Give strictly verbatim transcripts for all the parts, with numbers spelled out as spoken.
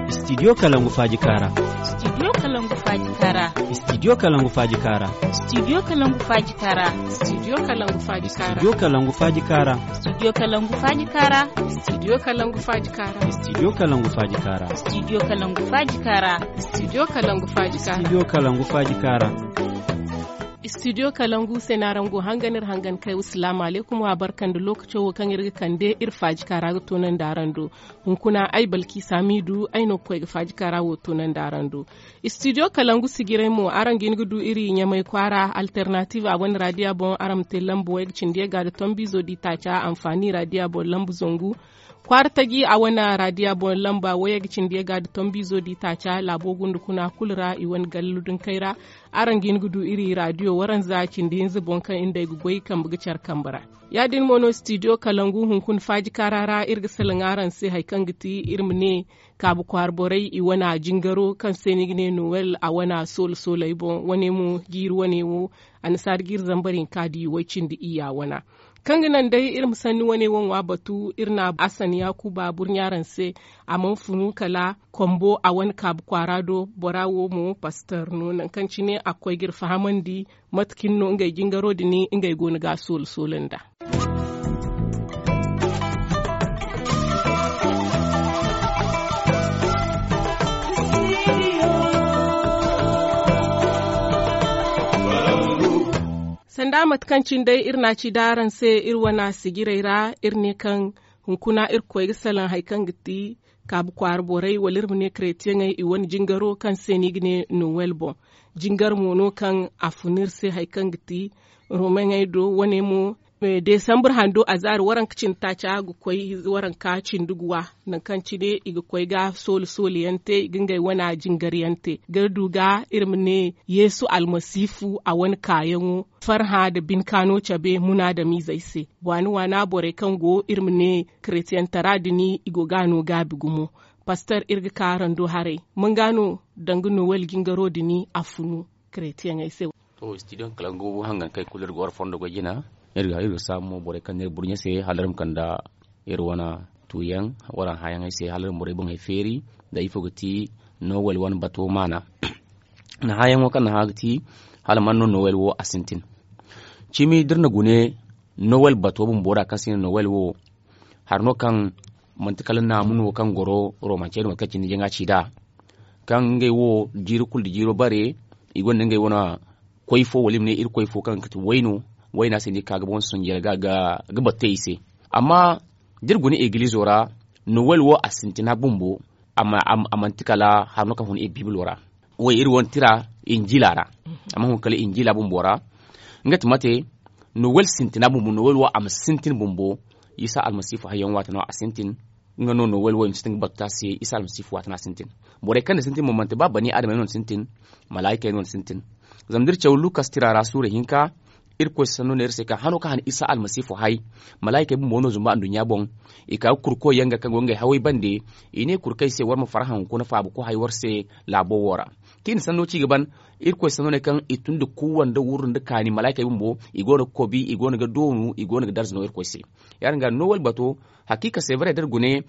Studio Kalangu Faaji Kaara. Studio Kalangu Faaji Kaara. Studio Kalangu Faaji Kaara. Studio Kalangu Faaji Kaara. Studio Kalangu Faaji Kaara. Studio Kalangu Faaji Kaara. Studio Kalangu Faaji Kaara. Studio Kalangu Faaji Kaara. Studio Kalangu Faaji Kaara. Studio Kalangu Faaji Kaara. Studio Kalangu Faaji Kaara. Studio Kalangu Faaji Kaara. Studio Kalangu se no araŋ go hangan iri hangan kay. Salaamu alaykum, wa barka nda lookaco wo kaŋ iri ga kande iri faaji kaara ga toonandi araŋ do. Hunkuna ay Balkiisa Hamiidu, ay no ga koy ga faaji kaara wo toonandi araŋ do. Studio Kalangu sijiray mo, araŋ ga hin ga du iri Ɲamay kwaara, Alternatiiv a wane raadiya boŋ, araŋ ma te lamba wayga cindi yagga nda tombiizo d'i taaca, Anfaani raadiya boŋ lamba zangu, Kwaara Taji a wane raadiya boŋ lamba wayga cindi yagga nda tombiizo d'i taaca, laabo gunda kuna kulu ra i wane gallu dunkey ra. Araŋ ga hin ga du iri raadiyo waranza cindi hinza boŋ kaŋ nd'ey ga goy kambe ga care kambe ra. Ya-din mo no Studio Kalangu hunkuna faaji kaara ra iri ga salaŋ araŋ se hari kaŋ ga ti iri ma ne kaabu kwaara borey i wane jingaro kaŋ se no i ga ne Nowel a wane soolo-sooley boŋ. Wane mo jiiri wane wo annasaara jiiri zambar hinka da i way cindi iyya wana. Kaŋ ga naŋ day iri ma sanni wane wo ŋwa batu, iri na Asan Yaakuba burɲa araŋ se. A mana funu kala Kombo a wane kaabu kwaara do. Bora wo mo pastor no, nangu kaŋ cine a ga koy ga iri fahamandi mate cine no ngey jingaro din ngey go no ga a soolo-soolo nd'a. Sanda mate kaŋ cine day iri na a ci daaraŋ se iri wane sijiray ra, iri ne kaŋ hunkuna iri ga koy ga salaŋ hari kaŋ ga ti kaabu kwaara borey wala iri ma ne karetiyaŋey i wane jingaro kaŋ se no i ga ne Nowel boŋ. Jingar mo no kaŋ a fun iri se hari kaŋ ga ti Romeŋey do. Wane mo, desambur hando a zaari waranka cindi taaca ga koy waranka cindi guwa, nangu kaŋ cine i ga koy ga soole-soole yaŋ te, i ga ngey wane jingar yaŋ te ga du ga iri ma ne Yeesu Almasiifu a wane kaayaŋo farhã nda binkaano cabe munaadamiizey se. Waani-waana borey kaŋ go iri ma ne karetiyantara din i go ga a no gaabi gumo. Pastor, iri ga ka araŋ do haray, man ga no danga Nowel jingaro din a funu karetiyaŋey se? To, studio kalangu hangan kay kulu iri ga war fondo ga jina. Iri ga iri ga saabu mo borey kaŋ na iri burɲe se hala iri ma kanda iri wane tuuyaŋ waraŋ hãyaŋey se hala iri ma borey boŋey feeri nda ifo ga ti Nowel wane bato maana. Hãyaŋo kaŋ na hã ga ti hala man no Nowel wo a sintin. Cimi da iri na gune Nowel bato bumbo ra kaŋ se i ne Nowel wo, hari no kaŋ manti kala naamu no kaŋ goro Romancey no mate kaŋ cine jaŋa ci nd'a, kaŋ ngey wo jiiri kulu nda jiiro bare i gonda ngey wane koy fo wala i ma ne Irkoy fo kaŋ ga ti wayno. Wayna se no i ga ka ga boŋ sunjel ga ga batte i se. Amma da iri guna egilizo ra, Nowel wo a sintina bumbo. A manti kala hari no kaŋ hun iri Bibilo ra. Wo iri wane tira Injila ra. A mana hun kala Injila bumbo ra. Nga ti mate, Nowel sintina bumbo, Nowel wo a ma sintin bumbo. Isa Almasiifu hayyaŋ waati no a sintin. Nga no Nowel wo i ma sintin ga batu te a se, Isa Almasiifu waati no a sintin. Borey kaŋ na sintin mo manti ba bani adamey no na sintin, malaykey no na sintin. Zama da iri caw Lukas tira ra suura hinka, Irkoy sanno ne iri se kaŋ hano kaŋ han Isa Almasiifu hay, malaykey bumbo no zumbu anduɲɲa boŋ. I ka ga kurkoy yaŋ ga kaŋ go ngey hawey bande. I ne kurkey se war ma farhã hunkuna faabu ko hay war se laabo wo ra. Kaŋ i na sanno ci ga ban, Irkoy sanno ne kaŋ i tun da kuuwa nda wurru nda kaani malaykey bumbo, i go no ga kobi, i go no ga doonu, i go no ga darza no Irkoy se. Ya-din ga Nowel bato, hakiika se bare da iri gune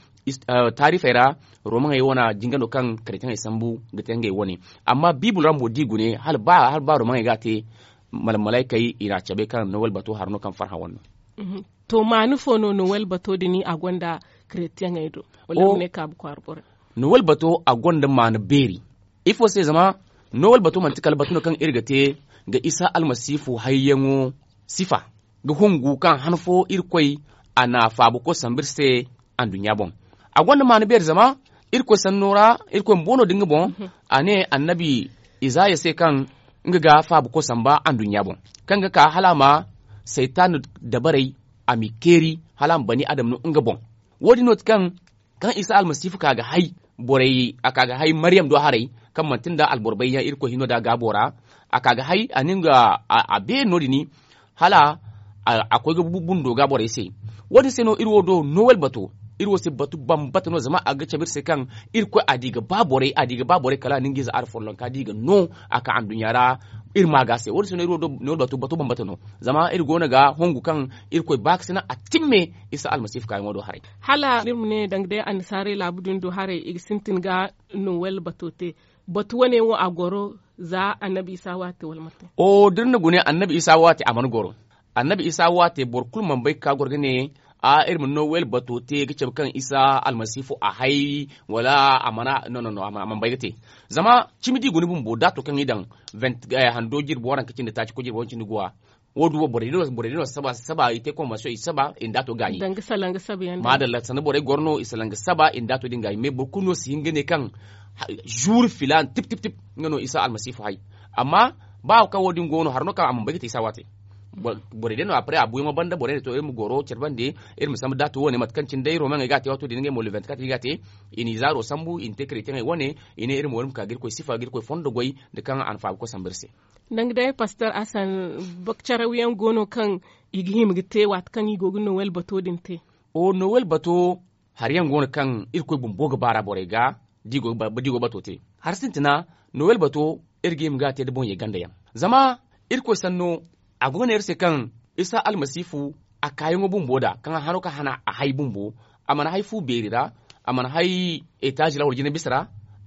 taarifey ra, Romaŋey wane jinga no kaŋ karetiyaŋey sambu ga te ngey wane. Amma Bibilo ra mo da i gune hala ba Romaŋey ga a te, malaykey i na a cabe kaŋ Nowel bato hari no kaŋ farhã wane no. To maani fo no Nowel bato din a gonda karetiyaŋey do? Wala iri ma ne kaabu kwaara borey? Nowel bato a gonda maani beeri. Ifo se? Zama Nowel bato manti kala batu no kaŋ iri ga te ga Isa Almasiifu hayyaŋo sifa, ga hungu kaŋ han fo Irkoy a na faabuko sambu iri se anduɲɲa boŋ. A gonda maana beeri zama Irkoy sanno ra, Irkoy bumbo no da nga boŋ. A ne annabi Izaya se kaŋ nga ga faabuko samba anduɲɲa boŋ, kaŋ ga ka hala a ma Saytan dabarey, a m'i keeri hala a ma bani adam no nga boŋ. Wo-din no ti kaŋ kaŋ Isa Almasiifu ka ga hay borey, a ka ga hay Maryam do haray, kaŋ manti nda alboro bayyaŋ Irkoy hino da gaabo ra. A ka ga hay, a na nga a beeri no-din, hala a koy ga bundo ga borey se. Wo-din se no iri wo do Nowel bato, iri wo se batu bambata no, zama a ga cabe iri se kaŋ Irkoy a di ga ba borey, a di ga ba borey kala a na nga ize ara follonka di ga no a ka anduɲɲa ra. iri ma ga se wo- din se no iri wo do no iri batu batu bambata no. Zama iri go no ga hongu kaŋ irkoy ba ga sina a timme isa almasiifu kaayaŋo do haray. Hala iri ma ne danga day annasaarey laabu din do haray i ga sintin ga nowel bato te. Batu wane wo a goro za annabi isa waate wala mate? O da iri na gune annabi isa waate a mana goro. Annabi isa waate boro kulu mana bay ga ka goro ga ne a iri ma nowel bato te ga cabe kaŋ isa almasiifu a hay wala a mana no no no a mana bay ga te. Zama cimi da i guna bumbo da a to kaŋ i daŋ hando jirbi waranka cindi taaci koy jirbi waranka cindi guwa. Wo- din wo borey din no saba i te konwansiyoŋ i saba i nda a to gaayi. Maadalla sanda borey goro no i salaŋ ga saba i nda a to din gaayi mais boro kulu no si hin ga ne kaŋ zuuri filaana tip tip tip nga no isa almasiifu hay. Amma ba kaŋ wo- din go no hari no kaŋ a mana bay ga te isa waate. Borey day no a pare a buyaŋo banda borey ne to iri ma goro care bande iri ma sambu da a to wane mate kaŋ cine day romaŋey ga a te waato din ngey mo le venti katr i ga a te. I n'i zaaro sambu i na te karey te ngey wane. I ne iri ma wari ma ka ga irkoy sifa ga irkoy fondo goy nda kaŋ a na faaba ga koy sambu iri se. Danga day pastor asan, bakcarawyaŋ go no kaŋ i ga hima ga te waati kaŋ i go ga nowel bato din te? O nowel bato hari yaŋ go no kaŋ irkoy bumbo ga baara borey ga da i go ga bato te. Hari sintina nowel bato iri ga hima ga a te nda boŋ ye ganda yaŋ. Zama irkoy sanno a go ga ne iri se kaŋ isa almasiifu a kaayaŋo bumbo da kaŋ a hano kaŋ a hana a hay bumbo. A mana hay fu beeri ra. A mana hay etaazi ra wala jina bisa ra.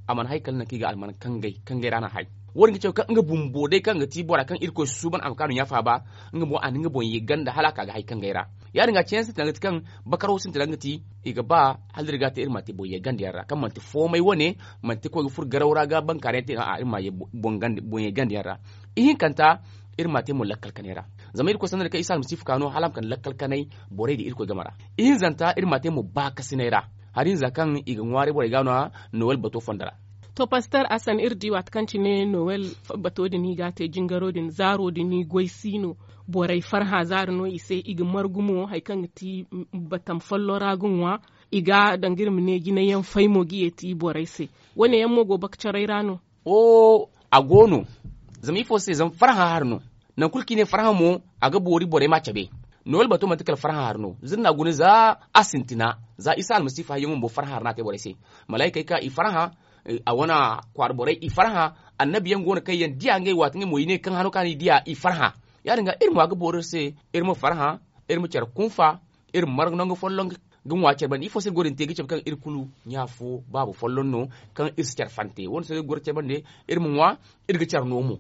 A mana hay kala nangu kaŋ i ga alman kangay kangay ra no a hay. Wo- din ga cabe kaŋ nga bumbo day kaŋ ga ti bora kaŋ irkoy susuuban a ma ka no ɲaafa ba. Nga mo a na nga boŋ ye ganda hala a ka ga hay kangay ra. Ya- din ga ceeyaŋ sintina ga ti kaŋ bakaro sintina ga ti i ga ba hala iri ga a te iri ma a te boŋ ye ganda yaŋ ra kaŋ manti foomay wane. Manti koy ga furo garaw ra ga bankaara yaŋ te a'a iri ma a ye boŋ ye ganda yaŋ ra. Ihinkanta iri ma a te mo lakkal kanay ra. Zama irkoy sanno din kaŋ isa almasiifu ka no hala a ma kande lakkal kanay borey da irkoy game ra. Ihinzanta iri ma a te mo baakasinay ra. Hari hinza kaŋ i ga ŋwaaray borey ga no a nowel bato fondo ra. To pastor asan iri di waati kaŋ cine nowel bato din i ga a te jingaro din zaaro din i goy si no. Borey farhã zaari no i se i ga margu mo hari kaŋ ga ti batam folloŋ ra ga ŋwa. I ga danga iri ma ne jinay yaŋ fay mo ga ye ti borey se. Wo- ne yaŋ mo go bakacaray ra no? O a go no. Zama ifo se zama farhã hari no. Nangu kulu kaŋ i ne farhã mo a ga boori borey ma a cabe. Nowel bato manti kala farhã hari no za iri na a guna za a sintina za isa almasiifu hayyaŋo bumbo farhã hari no a te borey se. Malaykey ka i farhã. A wane kwaara borey i farhã. Annabi yaŋ go no kaŋ yaŋ diya ngey waati ngey mo i ne kaŋ hano kaŋ a na i diya i farhã. Ya- din ga iri mo a ga boori iri se. Iri ma farhã. Iri ma care kunfa. Iri ma marga nangu folloŋ ga ŋwa care banda ifo se iri go din te ga cabe kaŋ iri kulu ɲa fo baaba folloŋ no. Kaŋ iri si care fante wo- din se iri go ga care bande. Iri ma ŋwa. Iri ga care no mo.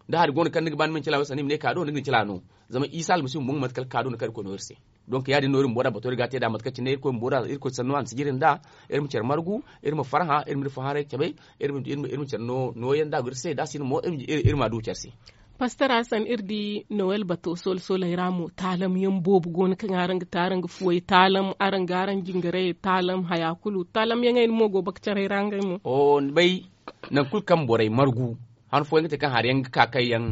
Da hari go no kaŋ ni ga ba ni ma ni cila wo sanni i ma ne kaado ni ga ni cila no. Zama isa almasihu bumbo nga manti kala kaado no kaŋ irkoy no iri se. Donk ya- din no iri bumbo da bato iri ga a te nd'a mate kaŋ cine irkoy bumbo da irkoy sanno a na sijiri nd'a. Iri ma care margu. Iri ma farhã iri ma iri fo haray cabe. Iri ma care nooyaŋ da a go iri se da a si no mo iri ma a du care se. Pastor hasan iri di nowel bato soola sooley ra mo taalam yaŋ boobo go no kaŋ araŋ ga te araŋ ga fuwey taalam araŋ ga araŋ jingarayey taalam haya kulu taalam yaŋey no mo go bakacaray ra ngey mo. Ni bay nangu kulu kaŋ borey margu han fooyaŋ ga te kaŋ hari yaŋ ga ka kaŋ yaŋ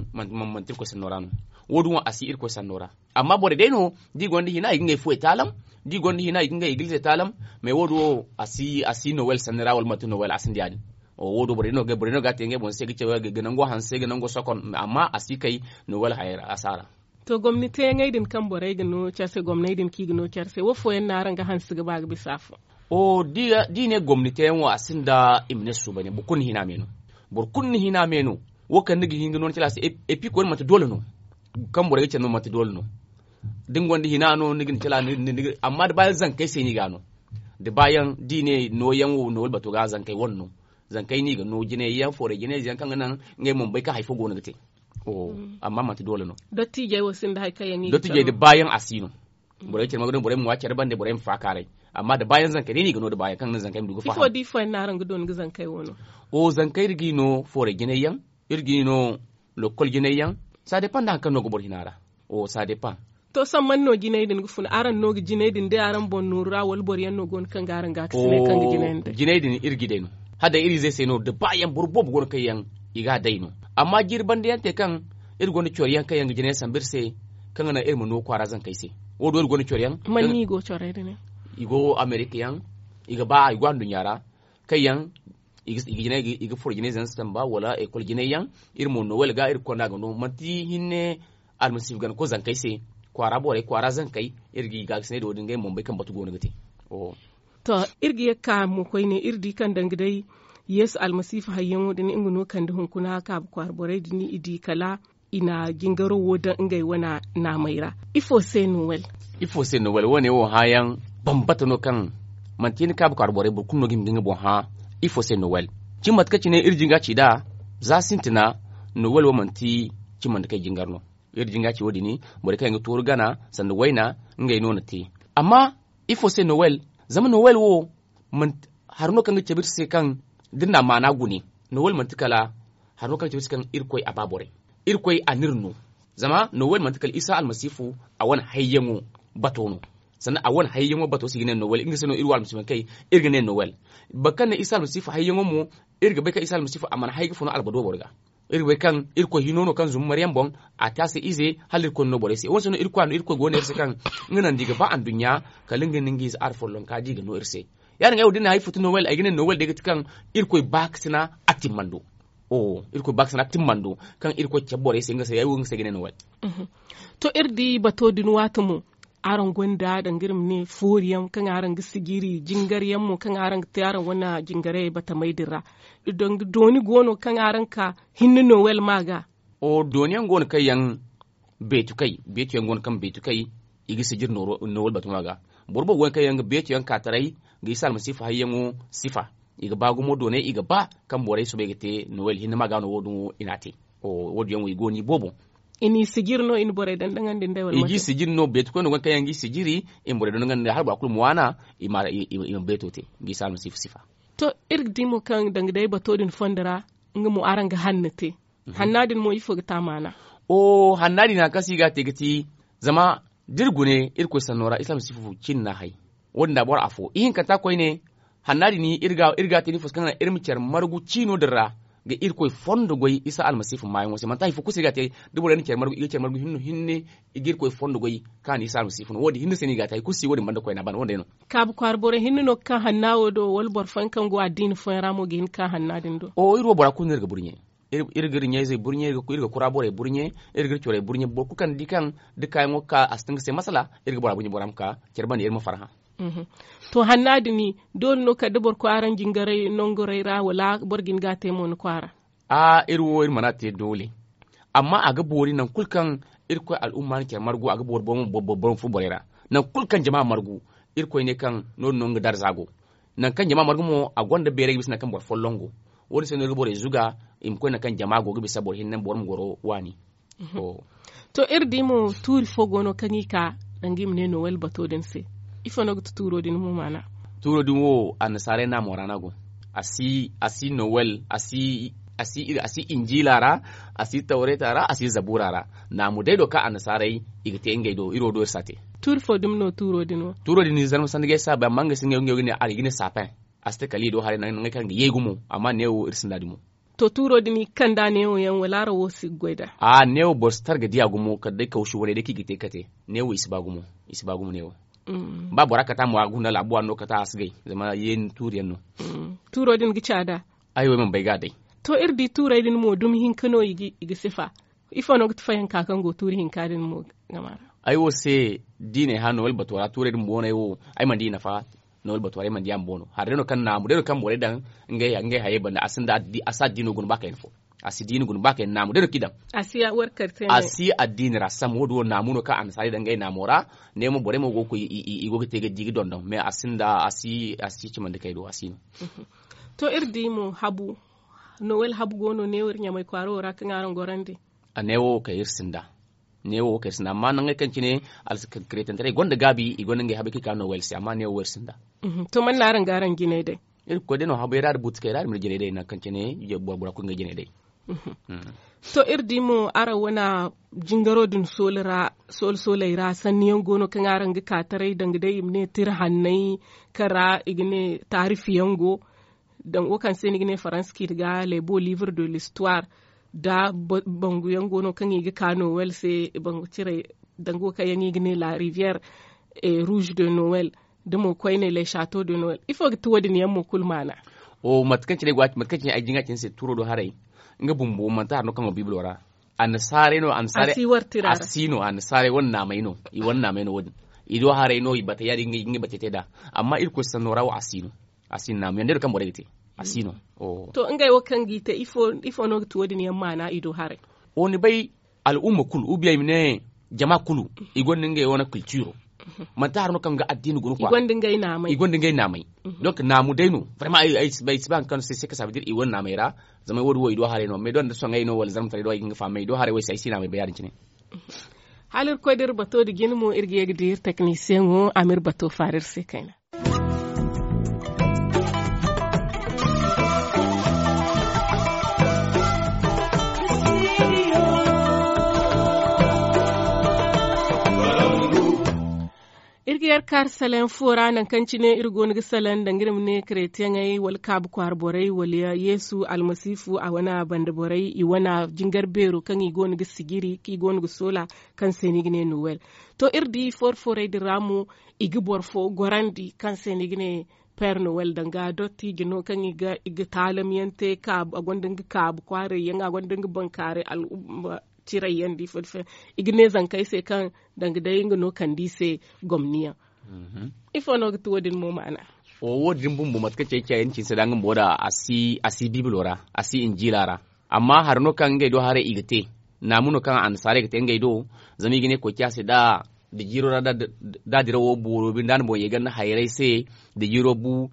manti irkoy sanno ra no. Wo- din wo a si irkoy sanno ra. Amma borey day no da i gonda hina i ga ngey fuwey taalam. Da i gonda hina i ga ngey igilize taalam. Mais wo- din wo a si nowel sanni ra wala manti nowel a sinda ya- din. Wo- din borey no ga a te ngey boŋ se ga cabe ga nango hanse ga nango sokon amma a si kay nowel hayey ra a si a ra. To gomni teeyaŋey din kaŋ borey ga no care se gomney din kaŋ i ga no care se wo fooyaŋ no araŋ ga hanse ga ba ga bisa afo? Da i ne gomni teeyaŋ wo a sinda i ma ne suuban yaŋ boro kulu ni hina me no. Boro kulu ni hina me no. Wo kaŋ ni ga hin ga no ni care a se. Epi koyne manti doole no. Kaŋ borey ga care no manti doole no. Da ni gonda hina no ni ga ni care a. Amma da baayaŋ zankey se no i ga a no. Da baayaŋ da i ne nooyaŋ wo no wala bato ga zankey wane no. Zankey no i ga no jinay yaŋ foorey jinay yaŋ kaŋ ga naŋ ngey mo ma bay kaŋ hari fo go no ga te. Amma manti doole no. Dottijey wo sinda hari kaŋ yaŋ i ga care dotijey da baayaŋ a si no. Borey care ma ga no borey ma ŋwa care bande borey ma faakaaray. Amma da baayaŋ zankey day no i ga no da baayaŋ kaŋ ga naŋ zankey ma du ga faakaaray. Ifo da ifo yaŋ no araŋ ga dooni ga zankey wo no? O zankey iri g'i no foorey jinay yaŋ. Iri g'i no lokol jinay yaŋ. Saa depan nda hari kaŋ no ga boro hina ra. O saa depan. To sohõ man no jinay din ga fun araŋ no ga jinay din day araŋ boŋ nooru ra wala boro yaŋ no go no kaŋ ga araŋ gaakasinay kaŋ ga jinay din day? Jinay din iri g'i day no. Hala day iri izey se no da baayaŋ boro boobo go no kaŋ yaŋ i g'a day no. Amma jiiri banda yaŋ te kaŋ iri gonda coro yaŋ kaŋ yaŋ ga jinay sambu iri se. Kaŋ ga naŋ iri ma no kwaara zankey se. Wo- din iri gonda coro yaŋ. Man no i go corey din? I go amerika yaŋ. I ga ba i go anduɲɲa ra. Kaŋ yaŋ i ga furo jinay zama samba wala ekol jinay yaŋ. Iri mo nowel ga iri ga konda ga no manti hinne. Almasiihu gana koy zankey se kwaara borey kwaara zankey. Iri ga i gaakasinay da wo- din ngey mo ma bay kaŋ batu go no ga te. To, iri ga ye ga ka mo koyne iri di kaŋ danga day yeesu almasiifu hayyaŋo din nga no kande hunkuna kaabu kwaara borey din i di kala i na jingaro wo daŋ ngey wane naamey ra. Ifo se nowel? Ifo se nowel wo- ne wo hãayaŋ bambata no kaŋ manti ni kaabu kaaru borey boro kulu no ga hima ga nga boŋ hã. Ifo se nowel? Cimi mate kaŋ cine iri jinga ci nd'a za sintina, nowel wo manti cimi mate kaŋ i jingar no. Iri jinga ci wo- din borey kaŋ yaŋ ga tooru gana sanda wayna, ngey no na te. Amma ifo se nowel? Zama nowel wo hari no kaŋ ga cabe iri se kaŋ da iri na a maana gune. Nowel manti kala hari no kaŋ ga cabe iri se kaŋ irkoy a ba borey. Irkoy a n'iri no. Zama nowel manti kala isa almasiifu a wane hayyaŋo bato no. Sanda a wane hayyaŋo bato se i ga ne nowel nga se no iri wo almasiifu yaŋ kay. Iri ga ne nowel boro kaŋ ne isa almasiifu hayyaŋo mo, iri ga bay kaŋ isa almasiifu a mana hay ga fun albado boro ga. Iri ga bay kaŋ irkoy hino no kaŋ zumbu maryaŋ boŋ, a te a se ize hala irkoy no borey se wo- din se no irkoy a no irkoy go no iri se kaŋ nga naŋ da i ga ba anduɲɲa kala nga nda nga ize ara follonka da i ga no iri se. Ya- din ga ay wo da ni na hay futu nowel ay ga ne nowel day ga ti kaŋ irkoy baakasina a timmando. Irkoy baakasina timmando kaŋ irkoy cabe borey se nga se ay wo nga se ay ga ne nowel. To iri di bato din waati mo, araŋ gonda danga iri ma ne foori yaŋ kaŋ araŋ ga sijiri jingar yaŋ mo kaŋ araŋ ga te araŋ wane jingaray batamey din ra? Danga dooni go no kaŋ araŋ ka hinne nowel ma ga? Dooni yaŋ go no kaŋ yaŋ beetu kay beetu yaŋ go no kaŋ beetu kay i ga sijiri nowel batuma ga. Boro boobo go no kaŋ yaŋ ga beetu yaŋ ka taray ga isa almasiifu hayyaŋo sifa. I ga ba gumo doonay i ga ba kaŋ borey soobay ga te nowel hinne ma ga no wo- din wo i n'a te. Wo- din yaŋ wo i go no i boobo. I n'i sijiri no i na borey dondonandi nd'ey wala i g'i sijiri no beetu koyne go no kaŋ yaŋ g'i sijiri i ma borey dondonandi nd'ey hala bora kulu ma waana i ma beeto te ga isa almasiifu sifa. To iri ga di mo kaŋ danga day bato din fondo ra nga mo araŋ ga hanna te. Hanna din mo ifo ga te a maana? Hanna din hari kaŋ se i ga a te ga ti zama da iri gune irkoy sanno ra isa almasiifu cin no a hay. Wo- din da boro afo ihinkanta koyne hanna din iri ga a te no ifo se kaŋ ga naŋ iri ma care margu ciino din ra ga irkoy fondo goy isa almasiifu maayaŋo se manti hari fo kulu se iri ga a te. Da borey na care margu i ga care margu hinne no hinne i ga irkoy fondo goy kaŋ a na isa almasiifu no wo- din hinne se no i ga a te hari kulu se wo- din banda koyne a bana wo- din day no. Kaabu kwaara borey hinne no ga ka hanna wo do wala boro fooyaŋ kaŋ go addiina fooyaŋ ra mo ga hin ga ka hanna din do? Iri wo bora kulu no iri ga burɲe. Iri ga iri ɲayzey burɲe iri ga kura borey burɲe. Iri ga iri corey burɲe boro kulu kaŋ ni di kaŋ da kaayaŋo ga ka a si tun ga se masala iri ga bora burɲe bora ma ka care banda iri ma farhã. To hanna din doole no kala da boro koy araŋ jingaray nongoray ra wala boro ga hin ga a te mo ni kwaara? Aa iri wo iri mana te doole. Amma a ga boori nangu kulu kaŋ irkoy al'umma na care margu a ga boori boro ma furo borey ra. Nangu kulu kaŋ jama margu irkoy ne kaŋ no- din no nga darza go. Nangu kaŋ jama margu mo a gonda beeray ga bisa nangu kaŋ boro folloŋ go. Wo- din se no iri ga borey zuga i ma koy nangu kaŋ jama go ga bisa boro hinne boro ma goro waani. To iri di mo tuuri fo go no kaŋ i ka danga i ma ne nowel bato din se? Ifo no ga ti tuuro din mo maana? Tuuro din wo annasaarey naamo ra no a go. A si nowel a si injiila ra, a si tawreeta ra a si zabuura ra. Naamu day do kaŋ annasaarey i ga te ngey do iri wo do iri si a te. Tuuri fo dumi no tuuro din wo? Tuuro din zarma sanni ga ay si a bay amma ngey se ngey wo ga ne a ra i ga ne saapeŋ. A si te kala i do haray nangu kaŋ ga yay gumo. Amma neewo iri sinda dumi. To tuuro din i ga kand'a neewo yaŋ wala araŋ wo si ga goy nd'a? Aa neewo boro si tara ga diya gumo kala day kawsu waney day kaŋ i ga te kate. Neewo i si ba gumo. I si ba gumo neewo. Ba bora kata mo a ga huna laabu waani no kata a si gay zama yeeni tuuri yaŋ no. Tuuro din ga ca nd'a? Ay wo ay mana bay ga a day. To iri di tuurey din mo dumi hinka no i ga sifa. Ifo no ga ti fayanka kaŋ go tuuri hinka din mo? Game ra ay wo se diiney hã nowel bato ra tuurey din booney wo ay mana di i nafa. Nowel bato ra ay mana di a ma boono hari day no kaŋ naamu day no kaŋ borey daŋ ngey hayey banda a si addiino guna ba kayna fo. A si diini guna ba kayna naamu day no kaŋ i daŋ. A si addiini ra sam wo- din wo naamu no kaŋ annasaarey daŋ ngey naamo ra. Ne mo borey mo go ga koy i go ga te ga di ga dondon mais a sinda a si cimandi kay do a si no. To iri di mo habu nowel habu go no neewo iri ɲamay kwaara wo ra kaŋ araŋ gorandi? A neewo wo kay iri sinda. Neewo wo kay iri sinda amma nangey kaŋ cine alkretantaray gonda gaabi i gonda ngey habey kaŋ i ka nowel se amma neewo wo iri sinda. To man no araŋ ga araŋ jinay day? Iri ga koy day no habey ra da buutikey ra iri ma iri jinay day nangu kaŋ cine boro bora kulu ngey jinay day. To iri di mo araŋ wane jingaro din soolo ra soolo sooley ra sanni yaŋ go no kaŋ araŋ ga ka taray danga day i ma ne tira hanney kaŋ ra i ga ne taarifi yaŋ go. Danga wo kaŋ se ni ga ne faransa ciiti ga les beaux livres de l'histoire da bangu yaŋ go no kaŋ i ga ka nowel se bangu ciray. Danga wo kaŋ yaŋ i ga ne la rivière rouge de nowel da mo koyne les chateaux de nowel ifo ga ti wo- din yaŋ mo kulu maana? Mate kaŋ cine ay jinga cine se tuuro do haray nga bumbo manti hari no kaŋ go biibilo ra. Annasaarey no annasaarey a si no annasaarey wane naamey no i wane naamey no wo- din. I do haray no i bate ya- din ngey bate te nd'a. Amma irkoy sanno ra wo a si no. A si no naamu yaŋ day no kaŋ borey ga te a si no. To ngey wo kaŋ g'i te ifo no ga ti wo- din yaŋ maana i do haray? Wo ni bay. al'umma kulu, ubiya i ma ne jama kulu, i gonda ngey wane kiltiro. Manti hari no kaŋ ga addiina guna kwa. I gonda ngey naamay. Donc naamu day no. Vraiment ay si ba hari kaŋ se se ka saabu dira i wane naamay ra. Zama wo- din wo i do haray no mais doŋ da soŋay no wala zarma taray do ay ga hin ga fahamay i do haray wo ay si ay si naamay bay ya- din cine. Hala iri koy da iri bato da jina mo iri ga ye ga di iri teknisiyeŋo a ma iri bato faara iri se kayna. Iri ga yar kaari salaŋ fo ra nangu kaŋ cine iri go no ga salaŋ danga iri ma ne karetiyaŋey wala kaabu kwaara borey wala yeesu almasiifu a wane banda borey i wane jingar beero kaŋ i go no ga sijiri kaŋ i go no ga soola kaŋ se no i ga ne nowel. To iri di foori foorey din ra mo i ga boro fo gorandi kaŋ se no i ga ne père nowel danga dottijo no kaŋ i ga taalamyaŋ te a gonda nga kaabu kwaaray yaŋ a gonda nga bankaaray al'umma ciray yaŋ da ifo da ifo yaŋ. I ga ne zankey se kaŋ danga day nga no kande i se gomni yaŋ. Ifo no ga ti wo- din mo maana? Wo- din bumbo mate kaŋ cey cey yaŋ cine se da nga bumbo da a si bibilo ra a si injiila ra. Amma hari no kaŋ ngey do haray i ga te naamu no kaŋ annasaarey ga te ngey do. Zama i ga ne koy ciya se da jiiro ra da dirawo booro binde a na boŋ ye ganda hayray se da jiiro bu.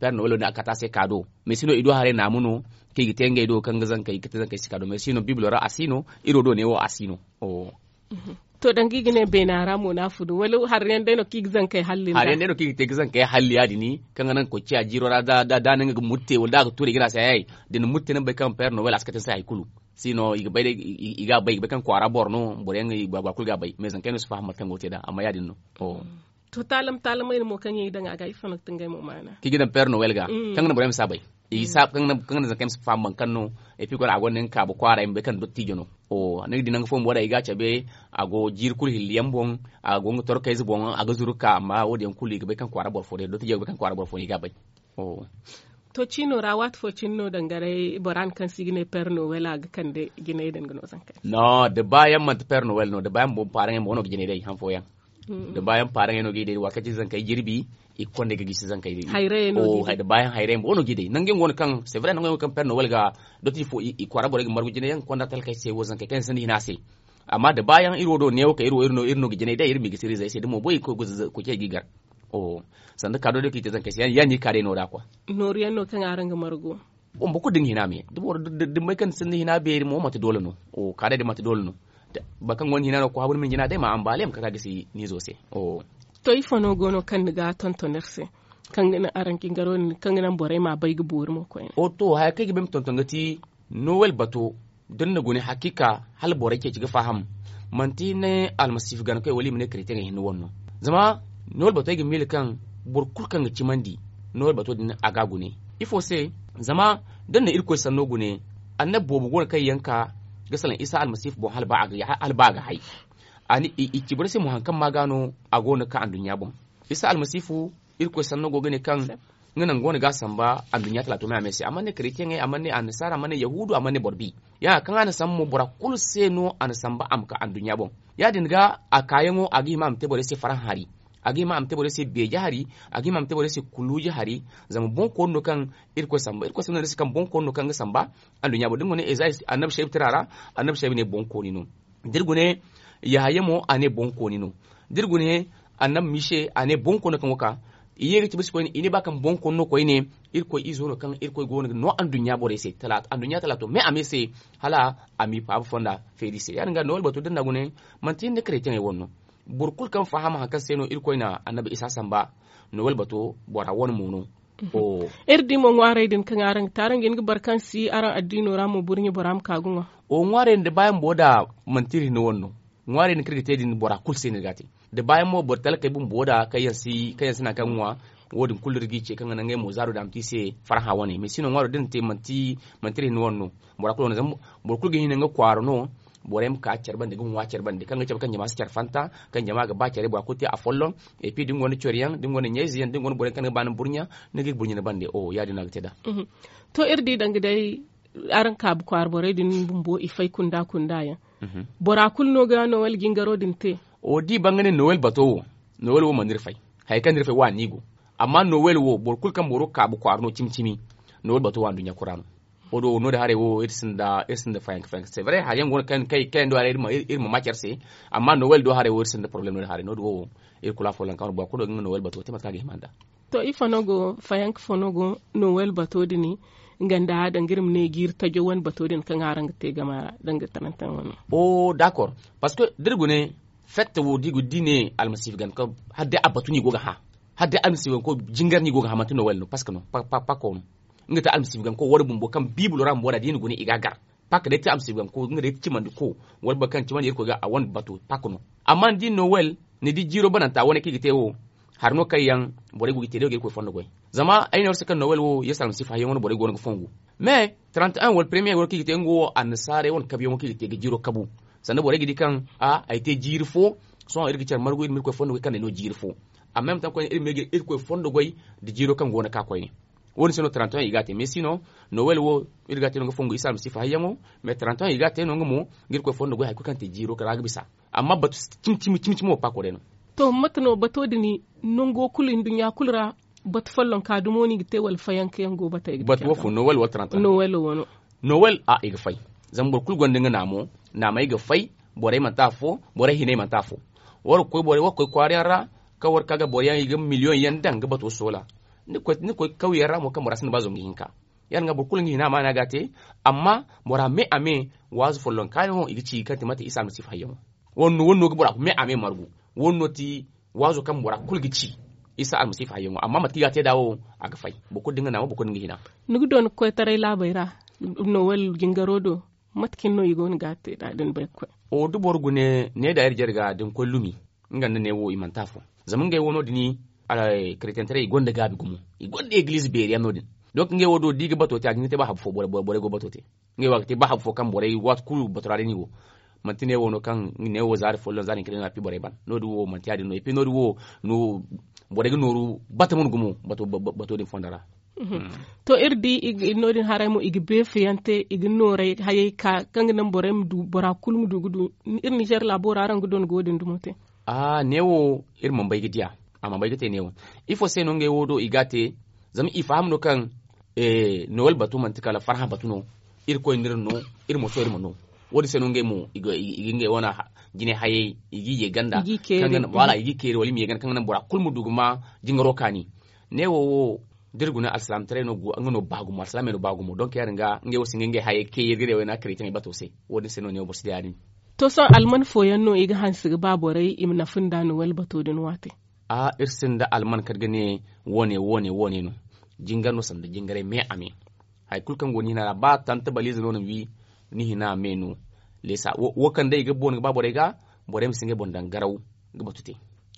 Père nowel wo- din a kate a se kaado mais si no i do haray naamu no kaŋ i ga te ngey do kaŋ ga zankey ga te zankey se kaado mais si no bibilo ra a si no iri wo do neewo a si no. To danga i ga ne beena ra mo no a funu wala hari yaŋ day no kaŋ i ga zankey halli nda hari yaŋ day no kaŋ i ga te ga zankey halli ya- din kaŋ ga naŋ koy ciya jiiro ra da a na nga ga murte wala da a ga tuuri i ga ne a se hayay da ni murte ni ma bay kaŋ père nowel a si kate ni se hari kulu. Si no i ga bay day i ga a bay i ga bay kaŋ kwaara boro no boro yaŋ i gwa gwa kulu ga a bay mais zankey no si faham mate kaŋ go ga te nd'a amma ya- din no. To taalam taalamey no mo kaŋ yaŋ i daŋ a ga ifo no ga ti ngey mo maana? Kaŋ i ga daŋ père nowel ga kaŋ ga naŋ borey ma si a bay. Kaŋ ga naŋ zankey ma si faham boro kaŋ no. Epi kone a gonda nga kaabu kwaaray ma bay kaŋ dottijo no. Ni ga di nangu fo bumbo day i ga a cabe a go jiiri kulu hilli yaŋ boŋ. A go nga torkayze boŋ a ga zuru ga ka amma wo- din yaŋ kulu i ga bay kaŋ kwaara boro fo day dottijo ga bay kaŋ kwaara boro fo no i ga a bay. To ciino ra waati fo cine no dangaray bora no kaŋ se i ga ne père nowel a ga kande jinay din ga no zankey? No da ba yaŋ manti père nowel no da ba yaŋ bumbo paaraŋey mo no ga jinay day han fooyaŋ. Da ba yaŋ paaraŋey no ga i day waati kaŋ cine zankey jirbi i ga konda ga gisi zankey day. Da ba yaŋ hayray mo no ga i day nangu yaŋ go no kaŋ c'est vrai nangu yaŋ go no kaŋ père nowel ga dottijo fo i kwaara borey ga margu jinay yaŋ ga konda talkey se wo zankey kaŋ yaŋ sinda hina se. Amma da ba yaŋ iri wo do neewo kay iri wo iri no ga jinay day iri ma i gisi iri zey se da mo boy ga koy ga zazza koy cey ga i gar. Sanda kaado day kaŋ i te zankey se ya- din no i ka day no- da kwa. Nooru yaŋ no kaŋ araŋ ga margu? Boro kulu da ni hina me da boro da ni bay kaŋ ni sinda hina beeri mo manti doole no. Kaadey din manti doole no. Boro kaŋ gonda hina no ga koy habu ni ma ni jina day ma ambaale ma kate a gisi ni izo se. To ifo no go no kaŋ ni ga tonton iri se kaŋ ga naŋ araŋ jingaro din kaŋ ga naŋ borey ma a bay ga boori mo koyne? To haya kaŋ ay ga ba ay ma tonton ga ti nowel bato da ni na gune hakiika hala borey ceeci ga faham. Manti ni ne almasiifu ganakoy wala i ma ne karetiyaŋey hinne wane no. Zama nowel bato ay ga miila kaŋ boro kulu kaŋ ga cimandi nowel bato din a ga a gune. Ifo se? Zama da ni na irkoy sanno gune annabi boobo go no kaŋ yaŋ ka ga salaŋ isa almasiifu boŋ hala ba a ga hay. I ci boro se mo hari kaŋ ma ga no a go no ga ka anduɲɲa boŋ. Isa almasiifu irkoy sanno go ga ne kaŋ nga naŋ go no ga a samba anduɲɲa talaato me a me se a mana ne karetiyaŋey a mana ne annasaara a mana ne yahuudu a mana ne boro bi. Ya- din kaŋ a na samba mo bora kulu se no a na samba a ma ka anduɲɲa boŋ. Ya- din ga a kaayaŋo a ga hima a ma te borey se farhã hari. A ga hima a ma te borey se beeje hari. A ga hima a ma te borey se kuluuji hari. Zama boŋkooni no kaŋ irkoy samba irkoy samba no ni se kaŋ boŋkooni no kaŋ ga samba anduɲɲa boŋ da ni go ne annabi saybu tira ra. Annabi saybu ne boŋkooni no. Da iri gune yahaya mo a ne boŋkooni no. Da iri gune annabi mise a ne boŋkooni no kaŋ go ka i ye ga cabe se koyne i ne ba kaŋ boŋkooni no koyne. Irkoy izo no kaŋ irkoy go no ga no anduɲɲa borey se anduɲɲa talaato me a me se hala a m'i faaba fonda feeri se ya- din ga nowel bato da ni na gune manti ni ne karetiyaŋey wane no. Boro kulu kaŋ faham hari kaŋ se no irkoy na annabi isa samba nowel bato bora wane mo no. Iri di mo ŋwaarey din kaŋ araŋ ga te araŋ ga hin ga boro kaŋ si araŋ addiino ra mo burɲe bora ma ka ga ŋwa. Wo ŋwaarey din da baayaŋ bumbo da manti iri hinne wane no. Ŋwaarey din kaŋ iri ga te din bora kulu se no iri ga a te. Da baayaŋ mo boro talkey bumbo da kaŋ yaŋ si naŋ kaŋ ga ŋwa. Wo- din kulu iri g'i ce kaŋ ga naŋ ngey mo zaaro din a ma te i se farhã wane mais si no ŋwaaro da iri na te manti iri hinne wane no. Boro kulu ga hin nga kwaara no. Borey ma ka care bande ga ŋwa care bande kaŋ ga cabe kaŋ jama si care fanta kaŋ jama ga ba care bora kulu te afolloŋ. Et puis da ni gonda coro yaŋ da ni gonda ɲayze yaŋ da ni gonda borey kaŋ ni ga ba ni ma burɲa ni ga i burɲa ni bande. Ya- din no a ga te nd'a. To iri di danga day araŋ kaabu kwaara borey din bumbo i fay kunda kunda yaŋ. Bora kulu no ga nowel jingaro din te? O da i ba nga ne nowel bato wo nowel wo mana iri fay. Hari kaŋ no iri fay wo a no i go. Amma nowel wo boro kulu kaŋ boro kaabu kwaara no cimi cimi nowel bato wo anduɲɲa kulu ra no. Wo- din wo no- din haray wo iri sinda fayanka fayanka se bare hari yaŋ go no kaŋ yaŋ do haray iri ma ma care se. Amma nowel do haray wo iri sinda probleme no- din haray no- din wo iri kulu afo lanka wane boro kulu ga nga nowel bato te mate kaŋ a ga hima nd'a. To ifo no go fayanka fo no go nowel bato din nga nda danga iri ma ne jiiri tajo wane bato din kaŋ araŋ ga te gama ra danga tarantaŋ wane? O dakor. Parceque da iri gune fette wo da i ne almasiifa ganda kaŋ hala day a batu no i go ga hã. Hala day almasiifa ganda kaŋ jingar no i go ga hã manti nowel no parceque no pako no. Nga te almasiifa ganda kaŋ wara bumbo kaŋ biibilo ra bumbo da i na gune i ga a gar. Pak day ti amsi ganko nga day ti cimandi ko wala boro kaŋ cimandi irkoy ga a wane bato pak no. Amma ni di nowel ni di jiiro bananta wane kaŋ i ga te wo hari no kaŋ yaŋ borey go ga te day wo ga irkoy fondo goy. Zama ay ne war se kaŋ nowel wo yesu almasihu hayyaŋo no borey go no ga fongu. Mais trente un wala premier wala kaŋ i ga te nga wo annasaarey wane kabuyaŋo kaŋ i ga te ga jiiro kabu. Sanda borey ga di kaŋ a ay te jiiri fo. Sohõ iri ga care margu iri ma irkoy fondo goy kaŋ day no jiiri fo. Amma ay ma taŋ koyne iri ma ye ga irkoy fondo goy da jiiro kaŋ go no ka koyne. Wo- din se no trente un i ga a te mais si no nowel wo iri ga a te no nga fongu isa almasifa hayyaŋo. Mais trente un i ga a te no nga mo ga irkoy fondo goy hari kulu kaŋ te jiiro ra ga bisa. Amma batu cimi cimi wo pako day no. To mate no bato din nango kulu nduɲɲa kulu ra? Batu follonka dumo no i ga te wala fayanka yaŋ go batey ga te batu wo fo nowel wala trente un nowel wo no. Nowel a i ga fay. Zama boro kulu gonda nga naamo. Naamey ga fay. Borey manti afo borey hiney manti afo. War ga koy kwaara yaŋ ra kaŋ war ga ka ga boro yaŋ i ga miliyoŋ yaŋ daŋ ga bato soola. Ni ga koy kawyaŋ ra mo kaŋ bora sinda ba zangu hinka. Ya- din ga boro kulu nga hina amaana ga a te. Amma bora me a me waazu follonka yaŋo i ga ci kaŋ ti mate isa almasifa hayyaŋo. Wo- din no ga bora me a me margu. Wo- din no ti waazo kaŋ bora kulu ga ci isa almasifa hayyaŋo amma mate kaŋ i ga a te nd'a wo a ga fay. Boro kulu da nga naamo boro kulu da nga hina. Ni ga doona koytaray laabey ra nowel jingaro do? Mate cine no i go no ga a te nd'a da ni bay ga koy. O da boro gune ne da iri jare ga da ni koy lumi. Nga nda ne wo i manti afo. Zama ngey wo no- din kretentaray i gonda gaabi gumo. I gonda egiliize beeri yaŋ no- din. Donc ngey wo do da i ga bato te a ga hin ga te ba habu fo borey go bato te. Ngey wo a ga te ba habu fo kaŋ borey waati kulu bato ra day no i go. Manti ne wo no kaŋ ne wo zaari folloŋ zaari hinka day no a pi borey ban no- din wo manti ya- din no et puis no- din wo borey ga nooru batama no gumo bato din fonda ra. To iri di no- din haray mo i ga beefe yaŋ te i ga nooray hayey ka kaŋ ga naŋ borey ma du bora kulu ma du ga du. Iri nizer laabo ra araŋ ga doona ga wo- din dumo te? Neewo iri mana bay ga diya. A mana bay ga te neewo. Ifo se no ngey wo do i ga a te? Zama i faham no kaŋ nowel batu manti kala farhã batu no. Irkoy no iri no. Iri ma to iri ma no. Wo- din se no ngey mo i ga ngey wane jine hayey i g'i ye ganda. Wala i g'i keeri wala i ma ye ganda kaŋ ga naŋ bora kulu ma du ga ma jingaro kaani. Neewo wo da iri guna alsilaamataray no go nga no ba gumo alsilaamey no ba gumo donk ya- din ga ngey wo si nga ngey hayey kay iri ga day wayna karey taŋey bato se. Wo- din se no neewo boro si day ya- din. To sohõ alman fooyaŋ no i ga hanse ga ba borey i ma nafa nda nowel bato din waate? Iri sinda alman kala ga ne wo- ne wo- ne wo- ne no. Jingar no sanda jingaray me a me. Hari kulu kaŋ go ni hina ra ba tanta balize no ni wi ni hina me no. Leesa wo kaŋ day i ga boŋ ga ba borey ga borey ma si ngey boŋ daŋ garaw ga batu te.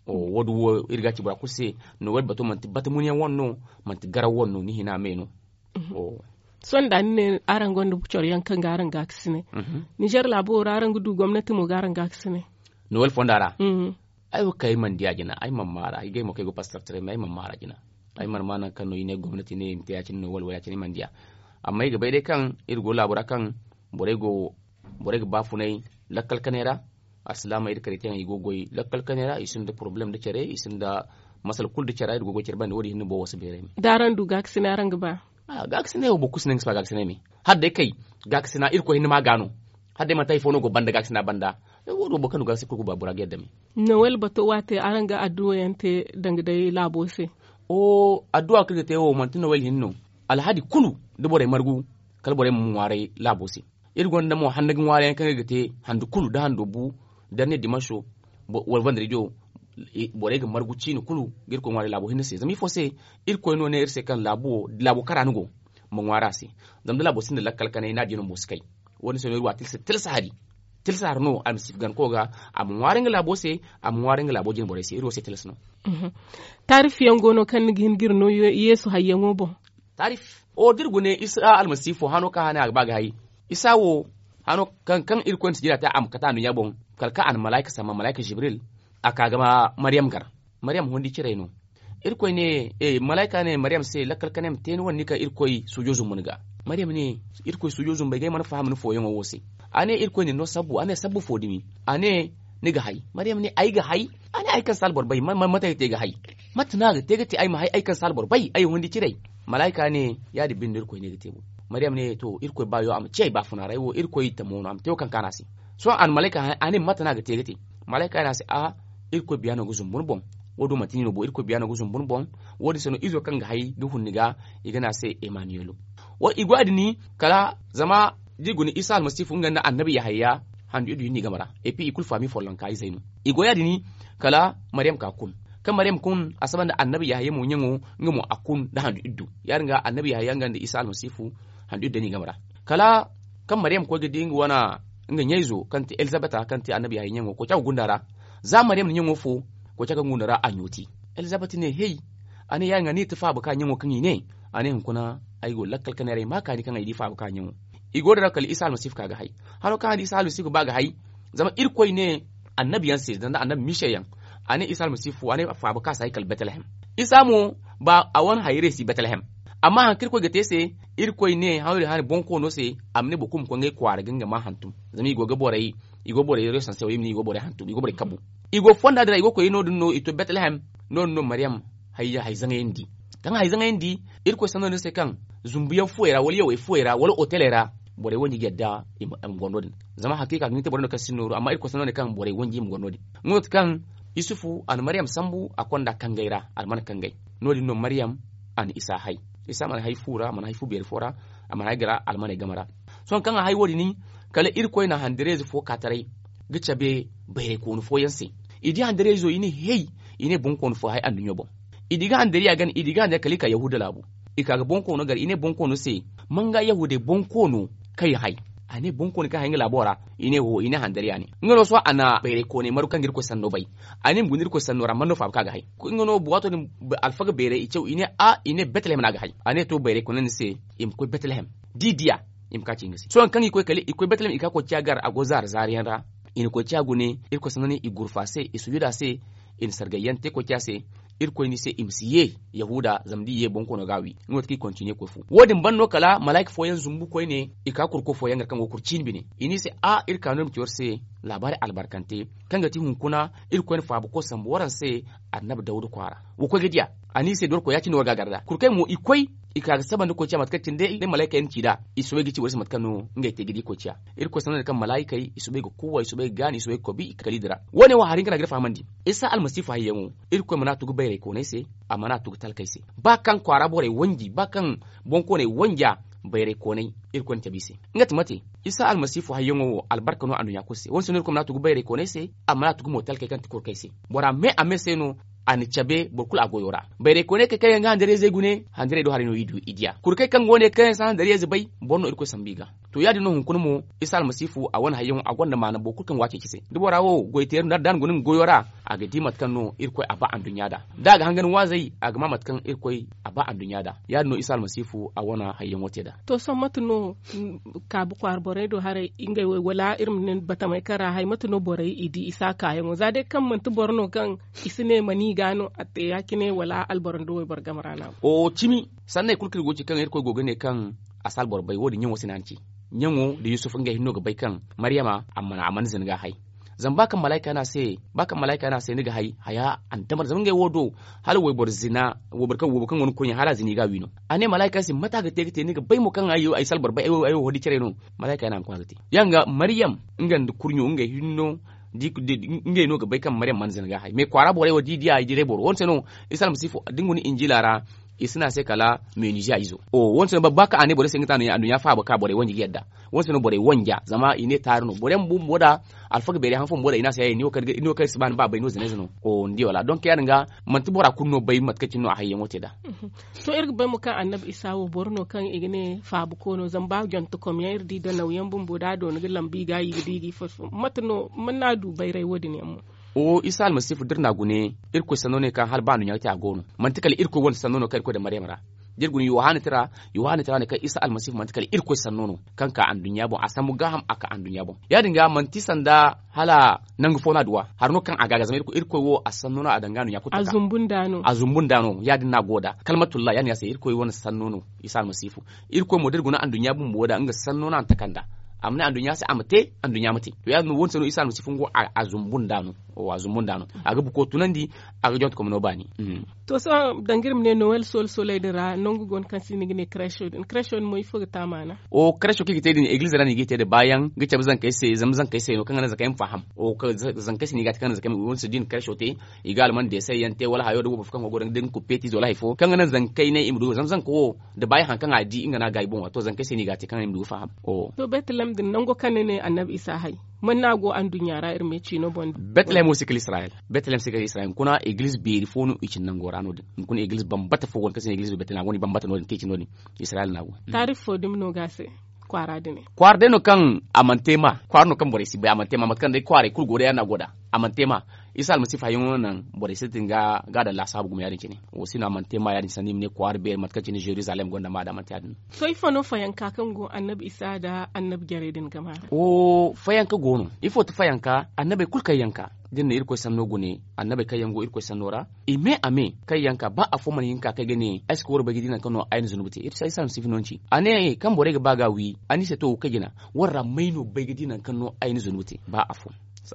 Wo- din wo iri ga a ci bora kulu se. Nowel bato manti bata munyaŋ wane no. Manti garaw wane no ni hina me no. Sohõ da ni ne araŋ gonda coro yaŋ kaŋ ga araŋ gaakasinay? Nizer laabo wo ra araŋ ga du gomnati mo ga araŋ gaakasinay? Nowel fonda ra ay wo kaŋ ay mana diya jina ay mana maara ay gay mo kaŋ ay go pastor taray me ay mana maara jina. Ay mana ma nangu kaŋ no i ne gomnati ne i ma te ya- cine no wala wala ya- cine ay mana diya. Amma ay ga bay day kaŋ iri go laabo ra kaŋ borey go borey ga baafunay lakkal kanay ra. Alsilaamey da karey te yaŋ i go ga goy lakkal kanay ra i sinda porobalem nda care i sinda masala kulu nda care ra iri go ga goy care banda wo- din hinne boro wo si beeray me. Da araŋ du gaakasinay araŋ ga ba? Gaakasinay wo boro kulu si ne nga si ba gaakasinay me. Hala day kay gaakasina irkoy hinne ma ga no. Hala day manti hari fo no go banda gaakasina banda. Wo- din wo boro kaŋ du gaakasina kulu ga ba bora ga yadda me. Nowel bato waate araŋ ga adduwa yaŋ te danga day laabo se? Adduwa kaŋ iri ga te wo manti nowel hinne no. Alhadi kulu da borey margu kala borey ma ŋwaaray laabo se. Iri gonda mo handu ga ŋwaarayaŋ kaŋ iri ga te handu kulu da hando bu darne dimanso wala vandarijo. Borey ga margu ciine kulu ga irkoy ŋwaaray laabo hinne se zama ifo se? Irkoy no ne iri se kaŋ laabo kara ni go ma ŋwaari a se. Zama da laabo sinda lakkal kanay ni a di no mo si kay. Wo- din se no iri wa tilsa hari. Tilsa hari no almasiifa ganako ga a ma ŋwaari nga laabo se. A ma ŋwaari nga laabo jine borey se iri wo se tilsa no. Taarif yaŋ go no kaŋ ni ga hin ga iri no yeesu hayyaŋo boŋ? Taarif o da iri gune isa almasiifo hano kaŋ hane a ga ba ga hay. Isa wo hano kaŋ irkoy na sijira te a ma kate anduɲɲa boŋ. Kala kaŋ a na malaayka samma malaayka jibril a ka ga maryam gar. Maryam hundi ciray no. Irkoy ne malaayka ne maryam se lakkal kanay ma te ni wane ni ka irkoy suujo zumbu ni ga. Maryam ne irkoy suujo zumbey ga ay mana faham ni fooyaŋo wo se. A ne irkoy na ni no sabbu a ne sabbu fo dumi? A ne ni ga hay? Maryam ne ay ga hay. A ne ay kaŋ si alboro bay mate ay ga te ga hay? Mate no a ga te ga te ay ma hay ay kaŋ si alboro bay ay hundi ciray? Malaayka ne ya- din binde no irkoy ne ga te bo. Mariyam ne to irkoy baayo a ma ci ay baafuna ra ay wo irkoy tamo no a ma te wo kaŋ kaanu a se. Sohõ a na malayka hã a ne mate no a ga te ga te. Malayka ne a se a irkoy biya no ga zumbu ni boŋ. Wo- din manti ni no bo irkoy biya no ga zumbu ni boŋ. Wo- din se no izo kaŋ ga hay ga hun ni ga i ga ne a se emaniyelo. I go ya- din kala zama da i guna isa almasihu nga nda annabi yahaya handu iddu hinne game ra. Et puis i kulu faami follonka izey no. I go ya- din kala mariyam ka kun. Kaŋ mariyam kun a saba nda annabi yahaya mo ɲaŋo nga mo a kun nda handu iddu. Ya- din ga annabi yahaya nga nda isa almasihu handu iddu day no i game ra. Kala kaŋ mariyam koy ga di nga wane nga ɲayzo kaŋ ti elizabeta kaŋ ti annabi yahaya ɲaŋo koy ca ga gunda ra. Za mariyam na ɲaŋo fo koy ca ga gunda ra a ɲooti. Elizabet ne hey, a ne ya- din ga ni ti faaba ka ɲaŋo kaŋ i ne. A ne hunkuna ay go lakkal ka ne ra ay ma kaani kaŋ ay di faaba ka ɲaŋo. I go din ra kala isa almasihu ka ga hay. Haro kaŋ a di isa almasihu ba ga hay. Zama irkoy ne annabi yaŋ se zanda annabi mise yaŋ. A ne isa almasihu a ne faaba ka si hay kala betlehem. Isa mo ba a wane hayrey si betlehem. Amma hari kaŋ irkoy ga te se irkoy ne hari hari bonkoono se. A ma ne boro kulu ma koy ngey kwaara ga nga ma hantum. Zama i go ga borey i go borey resanse wo i ma ne i go borey hantum i go borey kabu. I go fonda din ra i go koy no- din no i to betlehem. No- din no mariyam hay zaŋayandi. Kaŋ hay zaŋayandi irkoy sanno no se kaŋ zumbuyaŋ fuwey ra wala yawey fuwey ra wala oteley ra. Borey wanji ga yadda i ma gondo din zama hakiika ga ni te borey no kaŋ si nooru amma irkoy sanno ne kaŋ borey wanji i ma gondo din. Nga no ti kaŋ yusufu a na mariyam sambu a konda kangey ra a na mana kangey. No- din no mariyam a na isa hay. Isa mana hay fu ra a mana hay fu beeri fo ra. A mana hay gara a mana hay game ra. Sohõ kaŋ a hay wo- din kala irkoy na handareeze fo ka taray ga cabe bayraykooni fooyaŋ se. I di handareezo i ne hey, i ne bonkoono fo hay anduɲɲo boŋ. I di ga handariya gana i di ga handariya kala i ka yahuda laabu. I ka ga bonkoono gar i ne bonkoono se, man ga yahuday bonkoono kaŋ i hay? A ne bonkoono kaŋ hay nga laabo ra. I ne wo i ne handariya ne nga no sohõ a na bayraykooney maru kaŋ ga irkoy sanno bay. A ne i ma guna irkoy sanno ra man no faaba kaŋ a ga hay? Nga no waato din alfaga beeray i caw i ne a i ne betlehem no a ga hay. A ne to bayraykooney ni se i ma koy betlehem. Da i diya i ma ka ci nga se sohõ kaŋ i koy kala i koy betlehem i ka koy ciya gar a go zaara zaara yaŋ ra. I na koy ciya gune irkoy sanno ne i gurfa se i sujuda se. I na sargayyaŋ te koy ciya se. Irkoy ni se i ma si ye yahuda zama da i ye bonkoono ga a wi nga no ti kaŋ i kontiniye koy fu wo- din ban no kala malaayka fooyaŋ zumbu koyne. I ka kurko fooyaŋ gar kaŋ go kuru ciini bine i ne i se a iri ka no iri ma ci war se laabaari albarkante kaŋ ga ti hunkuna. Irkoy na faabako sambu waraŋ se annabi dawda kwaara. Wa koy ga diya a ne i se dorko ya- cine war ga a gar nd'a kuru kaŋ mo i koy i ka ga saba nda koy ciya mate kaŋ cine day malaykey na ci nd'a. I soobay ga ci boro se mate kaŋ no ngey te ga di koy ciya. Irkoy sanno ne kaŋ malaykey i soobay ga kuuwa i soobay ga gaani i soobay ga kobi i kaliidi ra. Wo- ne wo hari hinka no a ga iri fahamandi isa almasihu hayyaŋo. Irkoy mana a tugu bayraykooney se a mana a tugu talkey se. Ba kaŋ kwaara borey wanji ba kaŋ bonkooney wanja bayraykooney irkoy na cabe i se. Nga ti mate isa almasihu hayyaŋo wo albarka no anduɲɲa kulu se wo- din se no irkoy mana a tugu bayraykooney se. A mana a tugu mo talkey kaŋ ti kurkey se bora me a me se no. A na cabe boro kulu a goyo ra bayraykooney kaŋ kaŋ yaŋ ga handariyey gune handariyey do haray no i du i diya kuru kaŋ kaŋ go ne kaŋ yaŋ si handariyey bay boro no irkoy sambu i ga. To ya- din no hunkuna mo isa almasihu a wane hayyaŋo a gonda maana boro kulu kaŋ go a ceeci se da bora wo goy teeri no da a na guna nga goyo ra. A ga di mate kaŋ no irkoy a ba anduɲɲa nd'a da a ga hangan waazey a ga ma mate kaŋ irkoy a ba anduɲɲa nd'a. Ya- din no isa almasihu a wane hayyaŋo te nd'a. To sohõ mate no kaabu kwaara borey do haray ngey wo wala iri ma ne batamey kaŋ ra hay mate no borey i di isa kaayaŋo za day kaŋ manti boro no kaŋ i si ne ma ni ga no a te ya- cine wala alboro nda wayboro game ra no a go? Cimi sanney kulu kaŋ iri go ga ci kaŋ irkoy go ga ne kaŋ a si alboro bay wo- din ɲaŋo se no a na ci. Ɲaŋo nda yusuf ngey hinne no ga bay kaŋ maryama a mana zina ga a hay. Zama ba kaŋ malaayka ne a se ba kaŋ malaayka ne a se ni ga hay haya andamar zama ngey wo do hala wayboro zina wayboro kaŋ go no koyne hala a zina i ga a wi no. A ne malaayka se mate a ga te ga te ni ga bay mo kaŋ ay si alboro bay ay wo hodi care no. Malaayka ne a ma koy a ga te ya- din ga maryam nga nda kurɲo ngey hinne no. Ngey no ga bay kaŋ maryam mana zina ga a hay mais kwaara borey wo da i diya i diray boro wo- din se no isa almasihu da ni guna injila ra. I si ne a se kala meniziya izo wo- din se no ba kaŋ a ne borey se nga ti anduɲɲa faaba ka borey wanji ga yadda. Wo- din se no borey wanja zama i ne taari no borey bumbo da alfaga beeri han fo bumbo da i ne a se ni wo kaŋ iri si ba ni ba bay no zinayze no. Ni di wala donk ya- din ga manti bora kulu no bay mate kaŋ cine no a hayyaŋo te nd'a. To iri ga bay mo kaŋ annabi isa wo boro no kaŋ i ga ne faabuko no zama ba jontokom yaŋ iri di danawyaŋ bumbo da a doona ga lambu i ga i ga di ga i foy foy mate no mana a du bayray wo- din yaŋ mo? Isa almasihu da iri n'a gune irkoy sanno no kaŋ hala ba anduɲɲa ga te a go no manti kala irkoy wane sanno no kaŋ irkoy daŋ maryam ra. Da iri gune yohana tira yohana tira ne kaŋ isa almasihu manti kala irkoy sanno no kaŋ ka anduɲɲa boŋ a sambu gaaham a ka anduɲɲa boŋ ya- din ga manti sanda hala nangu fo no a duw'a hari no kaŋ a ga a ga zama irkoy wo a sanno no a daŋ ga anduɲɲa kulu taka. A zumbu nd'a no ya- din no a go nd'a kalmatulla ya- din ya se irkoy wane sanno no isa almasihu. Irkoy mo da iri guna anduɲɲa bumbo nd'a nga sanno no a na taka nd'a. A ma ne anduɲɲa se a ma te, anduɲɲa ma te. To ya- din no wo- din se no isa almasihu nga wo a zumbu nd'a no. A ga buko tunandi, a ga jonte komino baani. To sohõ danga iri ma ne nowel soolu sooley din ra nangu go no kaŋ se i na ga ne kareso din kareso din mo ifo ga te a maana? Kareso kaŋ i ga te din egiliz ra no i ga i te nda baayaŋ ga cabe zankey se zama zankey se no kaŋ ga naŋ zankey ma faham. Zankey se no i ga a te kaŋ ga naŋ zankey ma i wane se da i na kareso te, i ga alman deesey yaŋ te wala hayo da boro fo kaŋ go ga daŋ da ni kupeetiize wala hari fo kaŋ ga naŋ zankey ne i ma du zama zanka wo da baayaŋ hari kaŋ a di nga no a gaayi boŋ ra to zankey se no i ga a te kaŋ ga naŋ i ma du ga faham. To betelem din nango kaŋ ni ne annabi isa hay man no a go anduɲɲa ra iri ma ye ciino boŋ din? Betelem wo si kala israyel. Betelem si kala israyel hunkuna egiliz beeri fo no i cine nango ra no- din hunkuna egiliz bambata fo go no kaŋ se ne egiliz betelem a go no i bambata no- din kaŋ i cine no- din israyel no a go. Taarif fo dumi no ga a se kwaara din ne? Kwaara day no kaŋ a mana te ma kwaara no kaŋ borey si bay a mana te ma mate kaŋ day kwaaray kulu go day ya- din no a go nd'a. A mana te ma isa almasihu hayyaŋo no naŋ borey sintin ga a daŋ laasaabu gumo ya- din cine. Wo si no a mana te ma ya- din sanni i ma ne kwaara beeri mate kaŋ cine zerizalem gonda ma a daŋ a mana te ya- din no. To ifo no fayanka kaŋ go annabi isa nda annabi jarey din game ra? Fayanka go no. Ifo ti fayanka? Annabey kulu kaŋ yanka da ni na irkoy sanno gune annabey kaŋ yaŋ go irkoy sanno ra i me a me kaŋ yanka ba afo mana hin ka kaŋ ay ga ne ay si koy war bay ga di nangu kaŋ no ay na zunubu te? Isa almasihu no ni ci a ne kaŋ borey ga ba ga a wi a ne i se to wo kaŋ jina war ra may no bay ga di nangu kaŋ no ay na zunubu te ba afo?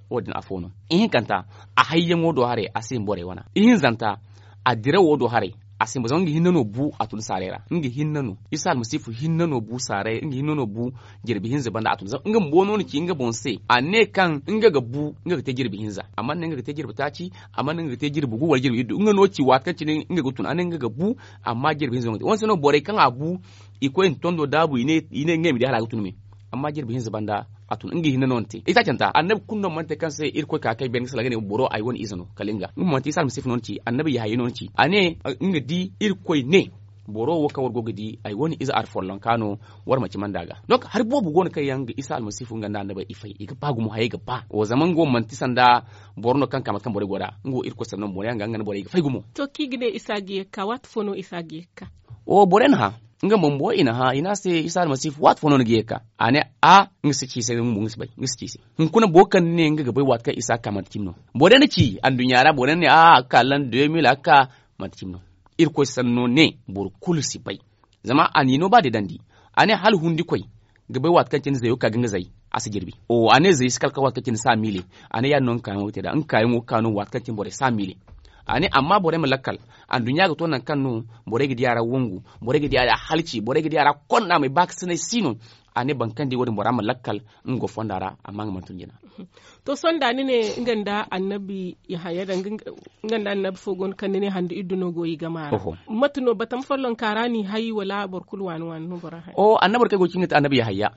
Wo- din afo no ihinkanta a hayyaŋo do haray a si hin borey wana ihinzanta a dirawo do haray a si hin borey zama nga hinne no bu a tun saaray ra nga hinne no isa almasihu hinne no bu saaray nga hinne no bu jirbi hinza banda a tun zama nga bumbo no na ci nga boŋ se a ne kaŋ nga ga bu nga ga te jirbi hinza a mana ne nga ga te jirbi taaci a mana ne nga ga te jirbi gu wala jirbi iddu nga no ci waati kaŋ cine nga ga tun a ne nga ga bu amma jirbi hinza no ga te wane se no borey kaŋ a bu i koy nda tondo daabu i ne ngey ma di hala a ga tun me amma jirbi hinza banda a tun nga hinne no ni te itaacanta annabi kulu no mana te kaŋ se irkoy ka kay beene ga salaŋ ga ne boro ay wane ize no kala nga nga mo manti isa almasihu no ni ci annabi yahaya no ni ci a ne nga di irkoy ne boro wo kaŋ war go ga di ay wane ize alfollonka no war ma cimandi a ga donk hari boobo go no kaŋ yaŋ ga isa almasihu nga nda annabey i fay i ga ba gumo hayey ga ba wo zama nga wo manti sanda boro no kaŋ ka mate kaŋ borey go nd'a nga wo irkoy sanno mo yaŋ ga nga nda borey ga fay gumo. To kaŋ i ga ne isa ga ye ga ka waati fo no isa ga ye ga ka? Wo borey na hã nga bumbo i na hã i ne a se isa almasihu waati fo no ni ga ye ga ka? A ne a nga si ci i se nga bumbo nga si bay nga si ci i se. Hunkuna boro kaŋ ni ne nga ga bay waati kaŋ isa ga ka manti cimi no? Borey na ci anduɲɲa ra borey na ne a a ga ka lan de mil a ga ka manti cimi no? Irkoy sanno ne boro kulu si bay. Zama a n'i no ba deedandi a ne hala hundikoy ga bay waati kaŋ cine zayo ga ka ga nga zay a si jirbi. A ne zay si kala kaŋ waati kaŋ cine saa miile. A ne ya- din no nga kaayaŋo ga te nd'a nga kaayaŋo ga ka no waati kaŋ cine borey saa miile. A ne amma borey ma lakkal anduɲɲa ga to nangu kaŋ no borey ga di a ra wangu borey ga di a ra halci borey ga di a ra konda may baakasinay si no. A ne boro kaŋ di wo- din bora ma lakkal nga go fonda ra amma nga mana tun jina. To sohõ da ni ne nga nda annabi yahaya danga nga nda annabi fo go no kaŋ ni ne handu iddu no go i gama ra? Mate no batama follonka ra no i hay wala boro kulu waani waani no bora hay? Annabi kaŋ ay go ga ci nga ti annabi yahaya.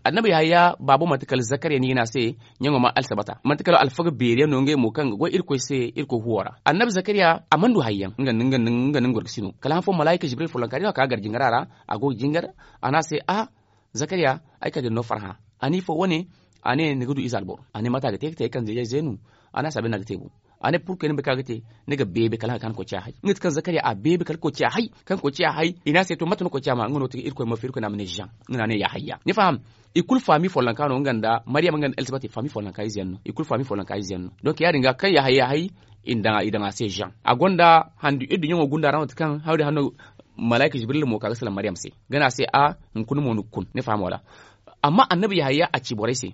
Annabi yahaya baabo manti kala zakariya no i ga ne a se ɲaŋo ma alsabata manti kala alfaga beeri yaŋ no ngey mo kaŋ ga goy irkoy se irkoy huwo ra annabi zakariya a mana du hari yaŋ nga nda nga nda nga nda nga gorkasino kala han fo malaayika jibril follonka di no a ka gar jingara ra. A go ga jingar a ne a se a zakariya ay kala da ni no farhã. A ne ifo wane? A ne ni ga du ize alboro a ne mate a ga te ga te ay kanze ya zeenu. A ne a saabe no a ga te bu. A ne purkey ni bay kaŋ a ga te ni ga beebe kala a ga ka ni koy ciya hay nga ti kaŋ zakariya a beebe kala koy ciya hay kaŋ koy ciya hay i ne a se to mate no koy ciya ma nga no ti irkoy ma firi koy no a ma ne jean nga no a ne yahaya ni faham? I kulu faami follonka no nga nda mariyam nga nda elzabet faami follonka ize yaŋ no i kulu faami follonka ize yaŋ no donk ya- din ga kaŋ yahaya hay i daŋ a se jean a gonda handu iddu ɲaŋo gunda ra no ti kaŋ hawdi hanno malaayika jibril mo ka ga salaŋ mariyam se ga ne a se a hunkuna mo ni ga kun ni faham wala? Amma annabi yahaya a ci borey se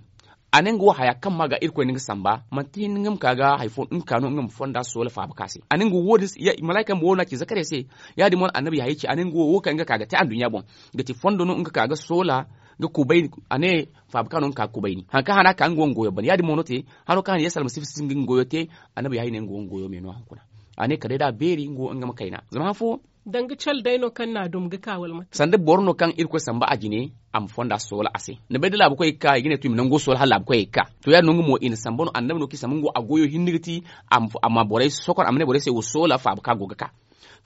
a ne nga wo haya kaŋ ma ga irkoy na nga samba manti hinne nga ma ka ga hari fo nga ka no nga ma fonda soola faabaka se a ne nga wo malaayika bumbo no a ci zakariya se. Ya- din mo no annabi yahaya ci a ne nga wo wo kaŋ nga ka ga te anduɲɲa boŋ ga ti fondo no nga ka ga soola ga kubay a ne faabaka no nga ka ga kubay ni hari kaŋ hana ka nga wo nga goyo ban ya- din mo no te hano kaŋ hana yesu almasihu si nga nga goyo te. Annabi yahaya ne nga wo nga goyo me no hunkuna a ne kala day da a beeri nga wo nga ma kayna zama han fo danga cale day no kaŋ n'a dum ga ka wala mate sanda boro no kaŋ irkoy samba a jine a ma fonda soola a se ni bay da laabukoy ga ka i ga ne to i ma nango soola hala laabukoy ga ka to ya- din no nga mo i na samba no annabi no kaŋ i samba nga wo a goyo hinne ga ti a ma borey sokor a ma ne borey se wo soola faaba kaŋ a go ga ka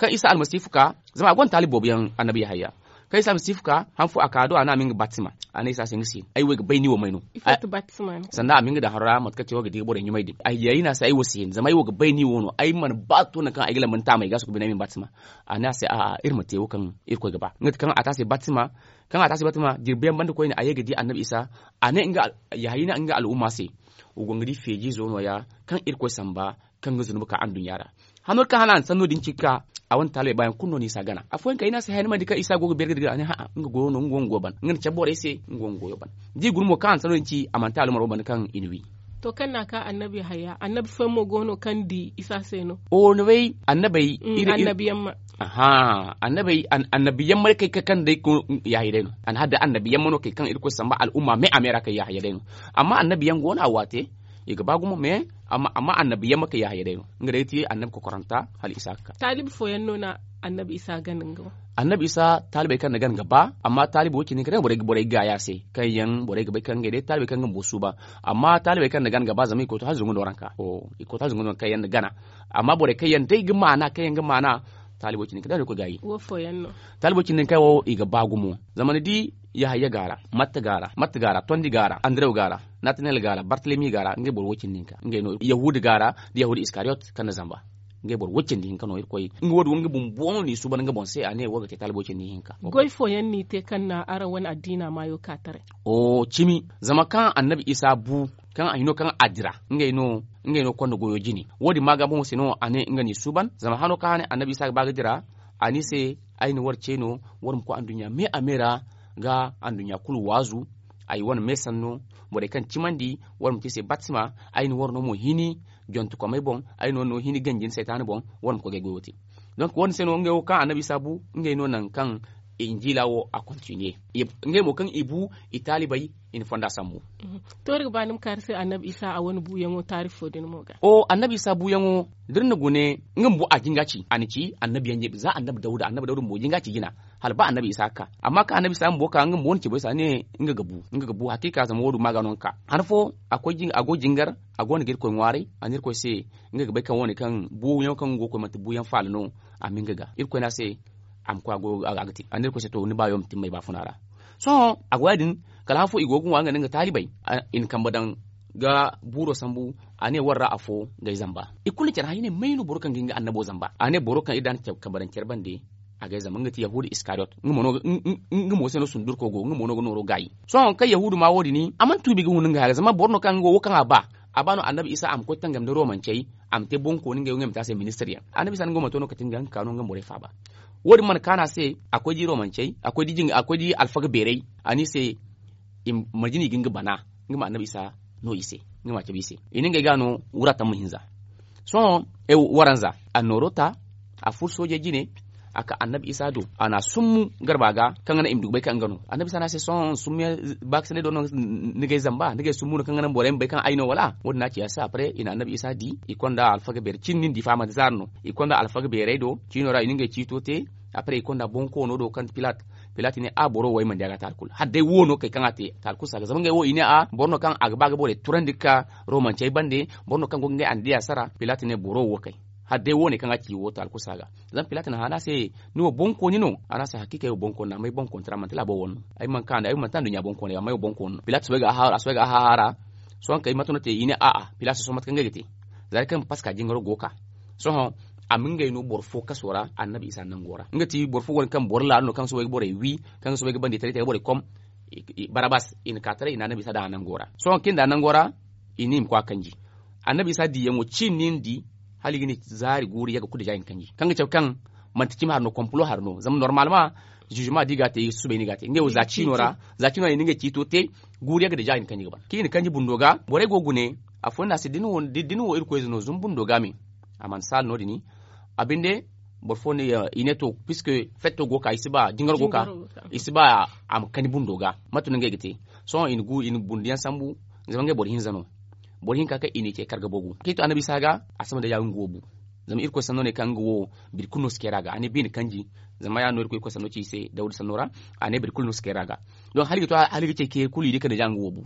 kaŋ isa almasihu ka zama a gonda taalibi boobo yaŋ annabi yahaya kaŋ isa almasihu ka han fo a ka do a ne a ma nga batisima a ne isa se nga si hin ay wo ay ga bay ni wo may no sanda a ma nga daŋ haro ra mate kaŋ te wo ga di ga borey ɲumay din ay yayi no a se ay wo si hin zama ay wo ga bay ni wo no ay mana ba to nangu kaŋ ay ga lamba ni taamey ga a si ga bine ay ma ni batisima a ne a se a'a iri ma te wo kaŋ irkoy ga ba nga ti kaŋ a te a se batisima kaŋ a te a se batisima jirbi yaŋ banda koyne a ye ga di annabi isa a ne nga yahaya ne nga al'umma se wa go nga di feejiizo no- ya kaŋ irkoy samba kaŋ ga zunubi ka anduɲɲa ra hano kaŋ hala a na sanno din ci ga ka a wane taalibey baayaŋ kulu no no isa gana afooyaŋ kay i ne a se haya ni mana di kaŋ isa go ga beeri ga dira a ne ha'a nga goyo no nga go ga goyo ban nga na cabe borey se nga go ga goyo ban da i guna mo kaŋ a na sanno din ci a manti alumaro banda kaŋ i na wi. To kaŋ na a ka annabi yahaya annabi fooyaŋ mo go no kaŋ di isa se no? O ni bay annabey. Annabi yamma. Aha. Annabi yamma day kay kaŋ day ko yahaya day no a na har day annabi yamma no kay kaŋ irkoy samba al'umma me a me ra kay yahaya day no. Amma annabi yaŋ go no a waate i ga ba gumo me. Amma annabi yamma kay yahaya day no nga day ti annabi kokoranta hala isa ga ka. Taalibi fooyaŋ no na annabi isa gana nga boŋ. Annabi isa taalibey kaŋ na gana ga ba amma taalibi wo- cindi kaŋ day borey ga gaayi a se kaŋ yaŋ borey ga bay kaŋ ngey day taalibey kaŋ ga bumbo suuban. Amma taalibey kaŋ na gana ga ba zama i koy to hala zungu no ranka i koy to hala zungu no ranka yaŋ na gana. Amma borey kaŋ yaŋ day ga maana kaŋ yaŋ ga maana taalibo cindi kaŋ day no i koy gaayi. Taalibo cindi kaŋ wo i ga ba gumo. Zama ni di yahaya ga a ra, matta ga a ra, tondi ga a ra, andarew ga a ra, natanel ga a ra, bartalemi ga a ra ngey boro wo- cindi hinka ngey no yahuda ga a ra, da yahuda iskariyot kaŋ na zamba. Ngey boro wo- cindi hinka no irkoy nga wo- din wo nga bumbo no n'i suuban nga boŋ se a ne wo ga te taalibo cindi hinka. Goy fooyaŋ n'i te kaŋ na araŋ wane addiina maayo ka taray. Cimi zama kaŋ annabi isa bu kaŋ a hino kaŋ a dira ngey no konda goyo jine. Wo- din ma ga boŋo se no a ne nga n'i suuban zama hano kaŋ a ne annabi isa ga ba ga dira. A ne i se ay na war ce no war ma koy anduɲɲa me a me ra ga anduɲɲa kulu waazu. Ay wane me sanno borey kaŋ cimandi war ma te i se batisima. Ay na war no mo hini jontekomey boŋ. Ay na war no hini ganji nda saytaana boŋ. War ma koy ga ay goyo te. Donk wo- din se no ngey wo kaŋ annabi isa bu ngey no nangu kaŋ injila wo a kontiniye. Ngey mo kaŋ i bu i taalibey i na fonda sambu. To iri ga ba ni ma kaari se annabi isa a wane buuyaŋo taarifo din mo ga. Annabi isa buuyaŋo da iri na gune nga bumbo a jinga ci a na ci annabi yaŋ za annabi dawda annabi dawda bumbo jinga ci jina. Hala ba annabi isa ga ka amma kaŋ annabi isa bumbo ka nga bumbo wane ci boy se a ne nga ga bu nga ga bu hakiika zama wo- din ma ga no nga ka han fo. A go jingar a go no ga irkoy ŋwaaray a ne irkoy se nga ga bay kaŋ wane kaŋ buuyaŋo kaŋ nga go ga koy manti buuyaŋ faala no. A ma nga ga irkoy ne a se a ma koy a go a ga te a ne irkoy se to ni baayo ma timmay baafuna ra. Sohõ a go ya- din kala han fo i go ga ŋwa nga nda nga taalibey i na kambe daŋ ga buuro sambu. A ne war ra afo ga ay zamba. I kulu na care hã i ne may no boro kaŋ ga hin ga annabo zamba a ne boro kaŋ iri da a na kambe daŋ care bande. A ga ay zamba nga ti yahuda iskariyot. Nga mo se no sundurko go nga mo no ga nooro gaayi. Sohõ kaŋ yahuda ma wo- din a mana tuubi ga hun nga haya ga zama boro no kaŋ nga wo kaŋ a ba a ba no annabi isa a ma koy tangam nda romancey. A ma te boŋkooni ngey wo ngey ma te a se ministir yaŋ annabi isa nga wo mana to no kate nga nga ka no nga ma borey faaba. Wo- din mana kaanu a se a koy di romancey a koy di alfaga beerey. A ne i se marje no i ga nga bana nga ma annabi isa no i se nga ma a cabe i se. I na ngey ga no wura tamma hinza. Sohõ waranza a na nooro ta a furo soojey jine. A ka annabi isa do a na a summu garba ga kaŋ ga naŋ i ma du ga bay kaŋ nga no annabi isa ne a se sohõ summuyaŋ baakasinay do no ni ga ay zamba ni ga ay summu no kaŋ ga naŋ borey ma bay kaŋ ay no wala? Wo- din no a ci a se après i na annabi isa di i konda alfaga beeri cin nin di fa manti zaari no. I konda alfaga beerey do ciino ra i na ngey ciito te. Après i konda bonkoono do kaŋ ti pilat. Pilat ne a boro wo ay mana di a ga taali kulu hala day wo no kay kaŋ a te taali kulu si a ga zama ngey wo i ne a boro no kaŋ a ga ba ga borey turandi ga ka romancey bande. Boro no kaŋ go ga ngey andiya sara pilat ne boro wo kay. Hala day wo- ne kaŋ a ci wo taali kulu si a ga zama pilat na hã ne a se ni wo bonkooni no? A ne a se hakiika ay wo bonkooni no amma ay bonkoonitara manti laabo wane no. Ay mana ka nda ay mana te anduɲɲa bonkooney amma ay wo bonkooni no pilat soobay ga a haaru a soobay ga a haaru a ra. Sohõ kay mate no te i ne a'a pilat sohõ mate kaŋ ngey ga te. Za day kaŋ paska jingaro go ga ka sohõ a ma ngey no boro fo kaso ra annabi isa nango ra nga ti boro fo go no kaŋ boro laalo no kaŋ soobay ga borey wi kaŋ ga soobay ga bandi taray taray borey kom. Barabas i na ka taray i na annabi isa daŋ a nango ra sohõ kaŋ i na daŋ a nango ra. I ne i ma koy a kanji annabi isa diyaŋo ciini no ni di. Hala i ga ne zaari guuru yagga kulu deja i na kanji kaŋ ga cabe kaŋ manti cimi hari no kompulo hari no zama normalma zizuma da i ga a te subay no i ga a te ngey wo za ciino ra. Za ciino ra i na ngey ciito te guuru yagga deja i na kanji ga ban kaŋ i na kanji bundo ga borey go ga gune. Afooyaŋ ne a se da ni wo irkoy ize no zuma bundo ga me. A mana saala no- din a binde boro fo ne i ne to puisque fetto go ga ka i si ba jingaro go ga ka i si ba a ma kani bundo ga. Mate no ngey ga te sohõ i na gu i na bundiyaŋ sambu. Zama ngey boro hinza no boro hinka kaŋ i n'i ce karga bogu kaŋ i to annabi isa ga. A sama day ya nga wo bu zama irkoy sanno ne kaŋ nga wo biri kulu no si kayra ga a ne biine kanji. Zama ya- din no irkoy sanno ci i se dawda sanno ra a ne biri kulu no si kayra ga. Donk hala i ga to hala i ga ce kayra kulu i di kande ja nga wo bu.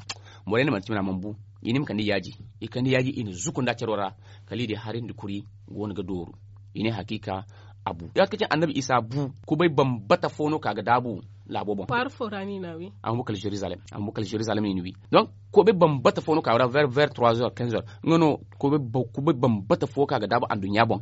Borey ne manti cimi ra mana bu i ne i ma kande yaaji. I kande yaaji i na zuku nda caro ra kala i di hari nda kuri go no ga dooru. I ne hakiika a bu ya ga kaci annabi isa bu kubay bambata fo no ka ga daabu. Laabo boŋ a ma bu kala jerusalem i na wi donk kubay bambata fo no ka ga daabu ver trois heures quinze heures nga no kubay bambata fo ka ga daabu anduɲɲa boŋ.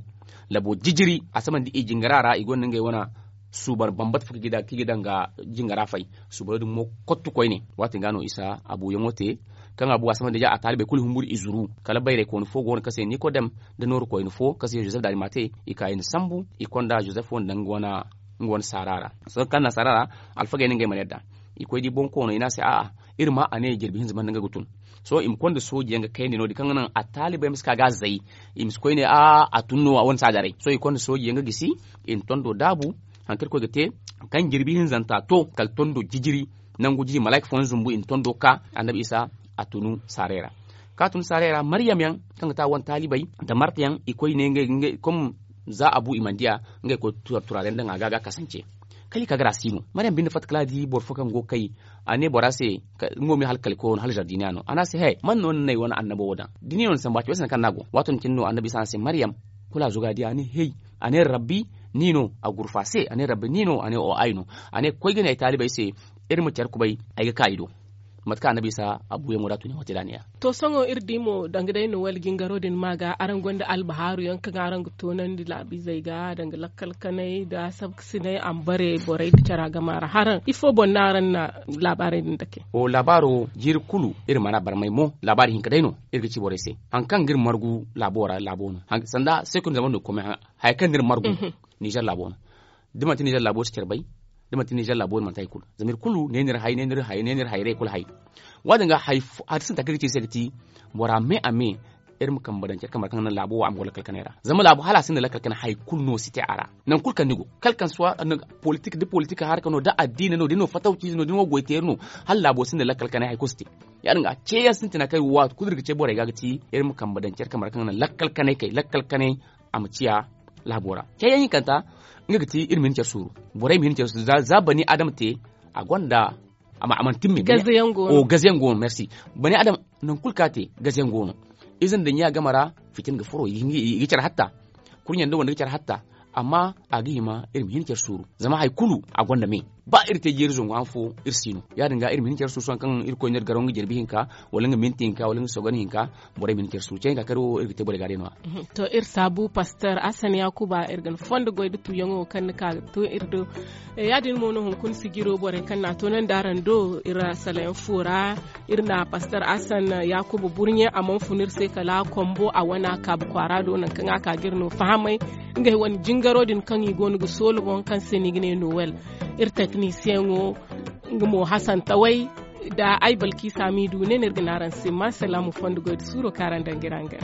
Labo jijiri a sama nda i jingara ra i gonda ngey wane suubar bambata fo kaŋ ga daŋ ga jingara fay. Suubaro din mo kottu koyne waati ga no isa a buuyaŋo te. kaŋ a bu a samandi ya a taalibey kulu humburu i zuru. Kala bayraykooni fo go no kaŋ se nikodem, nda nooru koyne fo kaŋ se jozef darimate. I ka i na sambu, i konda jozef wo nda nga wane saara ra. Sohõ kaŋ na saara ra, alfagey no ngey mana yadda. I koy di boŋ koono i ne a se a'a, iri ma a ne jirbi hinza banda nga ga tun. Sohõ i ma konda sooji yaŋ ga kayandi no- din kaŋ ga naŋ a taalibey ma si ka ga a zay. I ma si koy ne a'a a tun no a wane si a daray. Sohõ i konda sooji yaŋ ga gisi, i na tondo daabu, hari kaŋ irkoy ga te, kaŋ jirbi hinzanta to kala tondo jijiri. Nangu jijiri malaika fooyaŋ zumbu i na tondo ka, annabi isa a tunu saaray ra. Kaŋ a tunu saaray ra maryam yaŋ, kaŋ ga te a wane taalibey, nda marta yaŋ i koy ne ngey ngey kom, za a bu i mana di a. Ngey koy turaale nda nga ga ga kasance. Kala i ka ga ra si no maryam binde fatta kala a di boro fo kaŋ go ga kay. A ne bora se, nga wo ma ye hala kali koyo no hala zardiniya no a ne a se he man no ni na ay wane annabo wo daŋ? Da ni no ni sambu a ci bay sanni kaŋ ni a go waato din cine no annabi isa ne a se maryam. Kulu a zuga di a ne hey, a ne rabbi, ni no? A gurfa se a ne rabbi ni no a ne o ay no. A ne koy ga ne ay taalibey se, iri ma care kubay, ay ga ka i do. Mate kaŋ annabi isa a buuyaŋo da a tun yaŋo te da a ne ya. To sohõ iri di mo danga day nowel jingaro din ma ga araŋ gonda albahaaru yaŋ kaŋ araŋ ga toonandi laabiizey ga danga lakkal kanay nda sabkasinay a ma bare borey nda cara gama ra haraŋ ifo boŋ no araŋ na laabaarey din dake? Laabaaro jiiri kulu iri mana barmay mo laabaari hinka day no. Iri ga ci borey se, hari kaŋ ga iri margu laabo ra laabo no. Sanda seekun zaman no ga koy may haya kaŋ no iri margu, nizer laabo no. Da manti nizer laabo si care bay, da manti nizer laabo no manti hari kulu zama iri kulu ne no iri hay ne no iri hay ne no iri hayrey kulu hay. Wo- din ga hari sintin hari kaŋ iri ga ci iri se ga ti, bora me a me, iri ma kambe daŋ care kambe ra kaŋ ga naŋ laabo wo a ma go lakkal kanay ra zama laabo hala a sinda lakkal kanay hari kulu no si te a ra. Nangu kulu kaŋ ni go kala kaŋ suwa politik da politik haraka no da addiina no da ni no fatawciize no da ni no goyteeri no, hala laabo sinda lakkal kanay hari kulu si te. Ya- din ga ceeyaŋ sintina kaŋ iri go waati kulu iri ga ce borey ga ga ti iri ma kambe daŋ care kambe ra kaŋ ga naŋ lakkal kanay kay lakkal kanay a ma ciya laabo ra. Ceeyaŋ hinkanta, nga ga ti iri ma hin care suuru. Borey ma hin care suuru za bani adama te, a gonda a mana timme. Gazayaŋ go no. Bani adama, nangu kulu kaŋ a te gazayaŋ go no. Ize nda ɲya game ra, fitina ga furo i ga care hatta. Kurɲe nda wande ga care hatta. Amma a ga hima iri ma hin care suuru zama hari kulu a gonda me. Ba iri te jeeri zangu han fo iri si no ya- din ga iri ma hin care suuru sohõ kaŋ iri koy no iri garo nga jirbi hinka, wala nga minti hinka wala nga sogon hinka. Borey ma hin care suuru ceeyaŋ ga kar wo iri ga te borey ga day no- ya. To iri saabu pastor asan yaakuba iri ga ni fondo goy da tuuyaŋo kaŋ ni ka ga to iri do. Ya- din mo no hunkuna sijiro borey kaŋ no a toonandi araŋ do iri salayaŋ fo ra. Iri na pastor asan yaakuba burɲe a mana fun iri se kala kombo a wane a kaabu kwaara do nangu kaŋ a ka ga iri no fahamay. Ngey wane jingaro din kaŋ i go no ga soolo boŋ kaŋ se no i ga ne nowel. Iri teknisiyeŋo, nga mo hasan taway, nda ay balkiisa miidu ne no iri ga ne araŋ se ma salaamu fondo goy da suuro kaŋ araŋ daŋ ga iri haŋ ga.